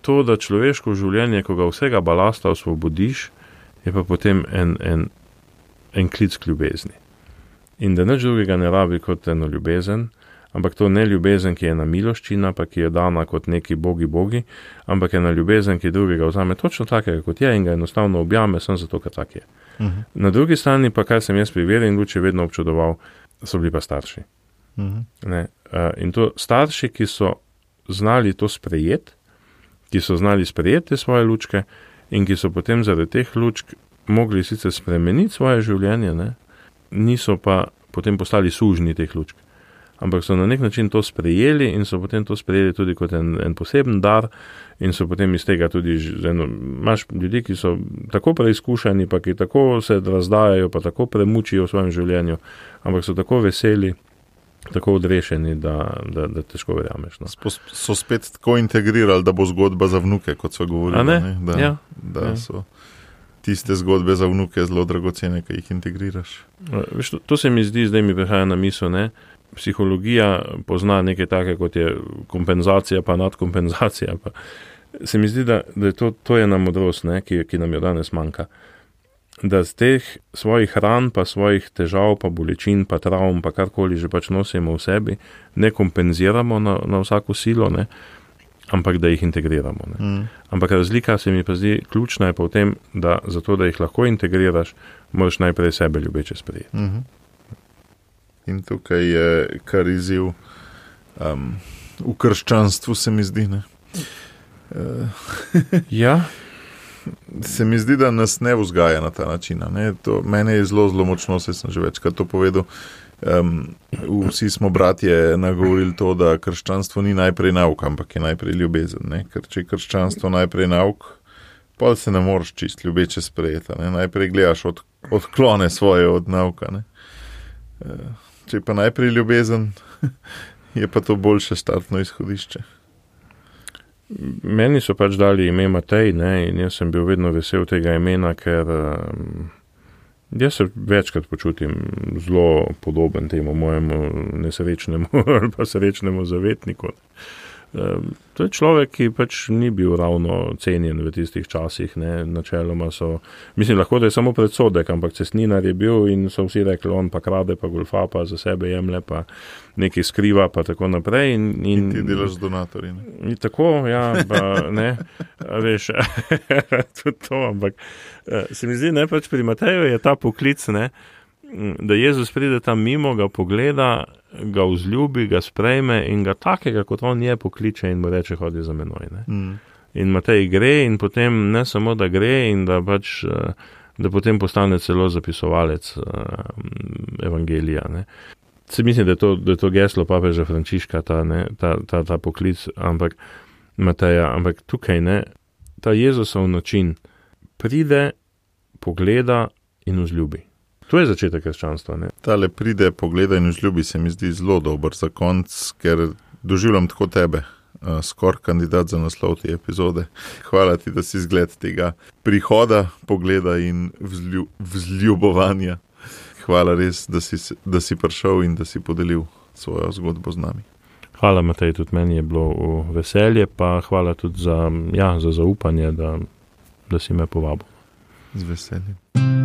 to, da človeško življenje, ko ga vsega balasta osvobodiš, je pa potem en, en, en klic k ljubezni. In da nič drugega ne rabi kot eno ljubezen, ampak to ne ljubezen, ki je ena miloščina, pa ki je dana kot neki bogi bogi, ampak ena ljubezen, ki drugega vzame točno takega, kot je, in ga enostavno objame, sem zato, ker tak je. Uh-huh. Na drugi strani pa, kar sem jaz pri veri in luči vedno občudoval, so bili pa starši. Uh-huh. Ne, uh, in to starši, ki so znali to sprejeti, ki so znali sprejeti svoje lučke in ki so potem zaradi teh lučk mogli sicer spremeniti svoje življenje, ne, niso pa potem postali sužnji teh lučk, ampak so na nek način to sprejeli in so potem to sprejeli tudi kot en, en poseben dar in so potem iz tega tudi, eno, imaš ljudi, ki so tako preizkušeni, pa ki tako se razdajajo, pa tako premučijo v svojem življenju, ampak so tako veseli, tako odrešeni, da, da, da težko verjameš. No. So spet tako integrirali, da bo zgodba za vnuke, kot so govorili. Ne? Ne? Da, ja. da ja. so tiste zgodbe za vnuke zelo dragocene, ki jih integriraš. Veš, to, to se mi zdi, zdaj mi prihaja na misel, ne? Psihologija pozna nekaj take, kot je kompenzacija, pa nadkompenzacija. Pa. Se mi zdi, da, da je to, to je ena modrost, ne? Ki, ki nam jo danes manjka. Da z teh svojih ran, pa svojih težav, pa bolečin, pa travm, pa karkoli že pač nosimo v sebi, ne kompenziramo na, na vsako silo, ne, ampak da jih integriramo. Ne. Mm. Ampak razlika se mi pa zdi ključna je pa v tem, da zato, da jih lahko integriraš, moraš najprej sebe ljubeče sprejeti. Mm-hmm. In tukaj je kar izziv um, v krščanstvu, se mi zdi, ne. Uh. Ja. Se mi zdi, da nas ne vzgaja na ta način. Ne? To, mene je zelo, zelo močno, se sem že večkrat to povedal. Um, vsi smo bratje nagovorili to, da krščanstvo ni najprej nauk, ampak je najprej ljubezen. Ne? Ker če je krščanstvo najprej nauk, pa se ne moreš čist ljubeče sprejeti. Ne? Najprej gledaš od, odklone svoje od nauka. Ne? Če je pa najprej ljubezen, je pa to boljše startno izhodišče. Meni so pač dali ime Matej, ne, in jaz sem bil vedno vesel tega imena, ker um, jaz se večkrat počutim zelo podoben temu mojemu nesrečnemu ali pa srečnemu zavetniku. To je človek, ki pač ni bil ravno cenjen v tistih časih, ne, načeloma so, mislim, lahko da je samo predsodek, ampak cestninar je bil in so vsi rekli, on pa krade, pa golfa, pa za sebe jemlje, pa nekaj skriva, pa tako naprej. In, in, in ti delaš z donatorji, ne? In tako, ja, pa ne, veš, tudi to, ampak se mi zdi, ne, pač pri Mateju je ta poklic, ne, da Jezus pride tam mimo, ga pogleda, ga vzljubi, ga sprejme in ga takega, kot on je, pokliče in mu reče, hodi za menoj. Ne? Mm. In Matej gre in potem ne samo, da gre in da pač, da potem postane celo zapisovalec evangelija. Ne? Se mislim, da je to, da je to geslo papeža Frančiška, ta, ne, ta, ta, ta poklic, ampak Mateja, ampak tukaj ne, ta Jezusov način pride, pogleda in vzljubi. To je začetek krščanstva, ne? Tale pride, pogleda in vzljubi se mi zdi zelo dober za konc, ker doživljam tako tebe, skor kandidat za naslov te epizode. Hvala ti, da si zgled tega prihoda, pogleda in vzlju, vzljubovanja. Hvala res, da si, da si prišel in da si podelil svojo zgodbo z nami. Hvala, Matej, tudi meni je bilo veselje, pa hvala tudi za, ja, za zaupanje, da, da si me povabil. Z veseljem.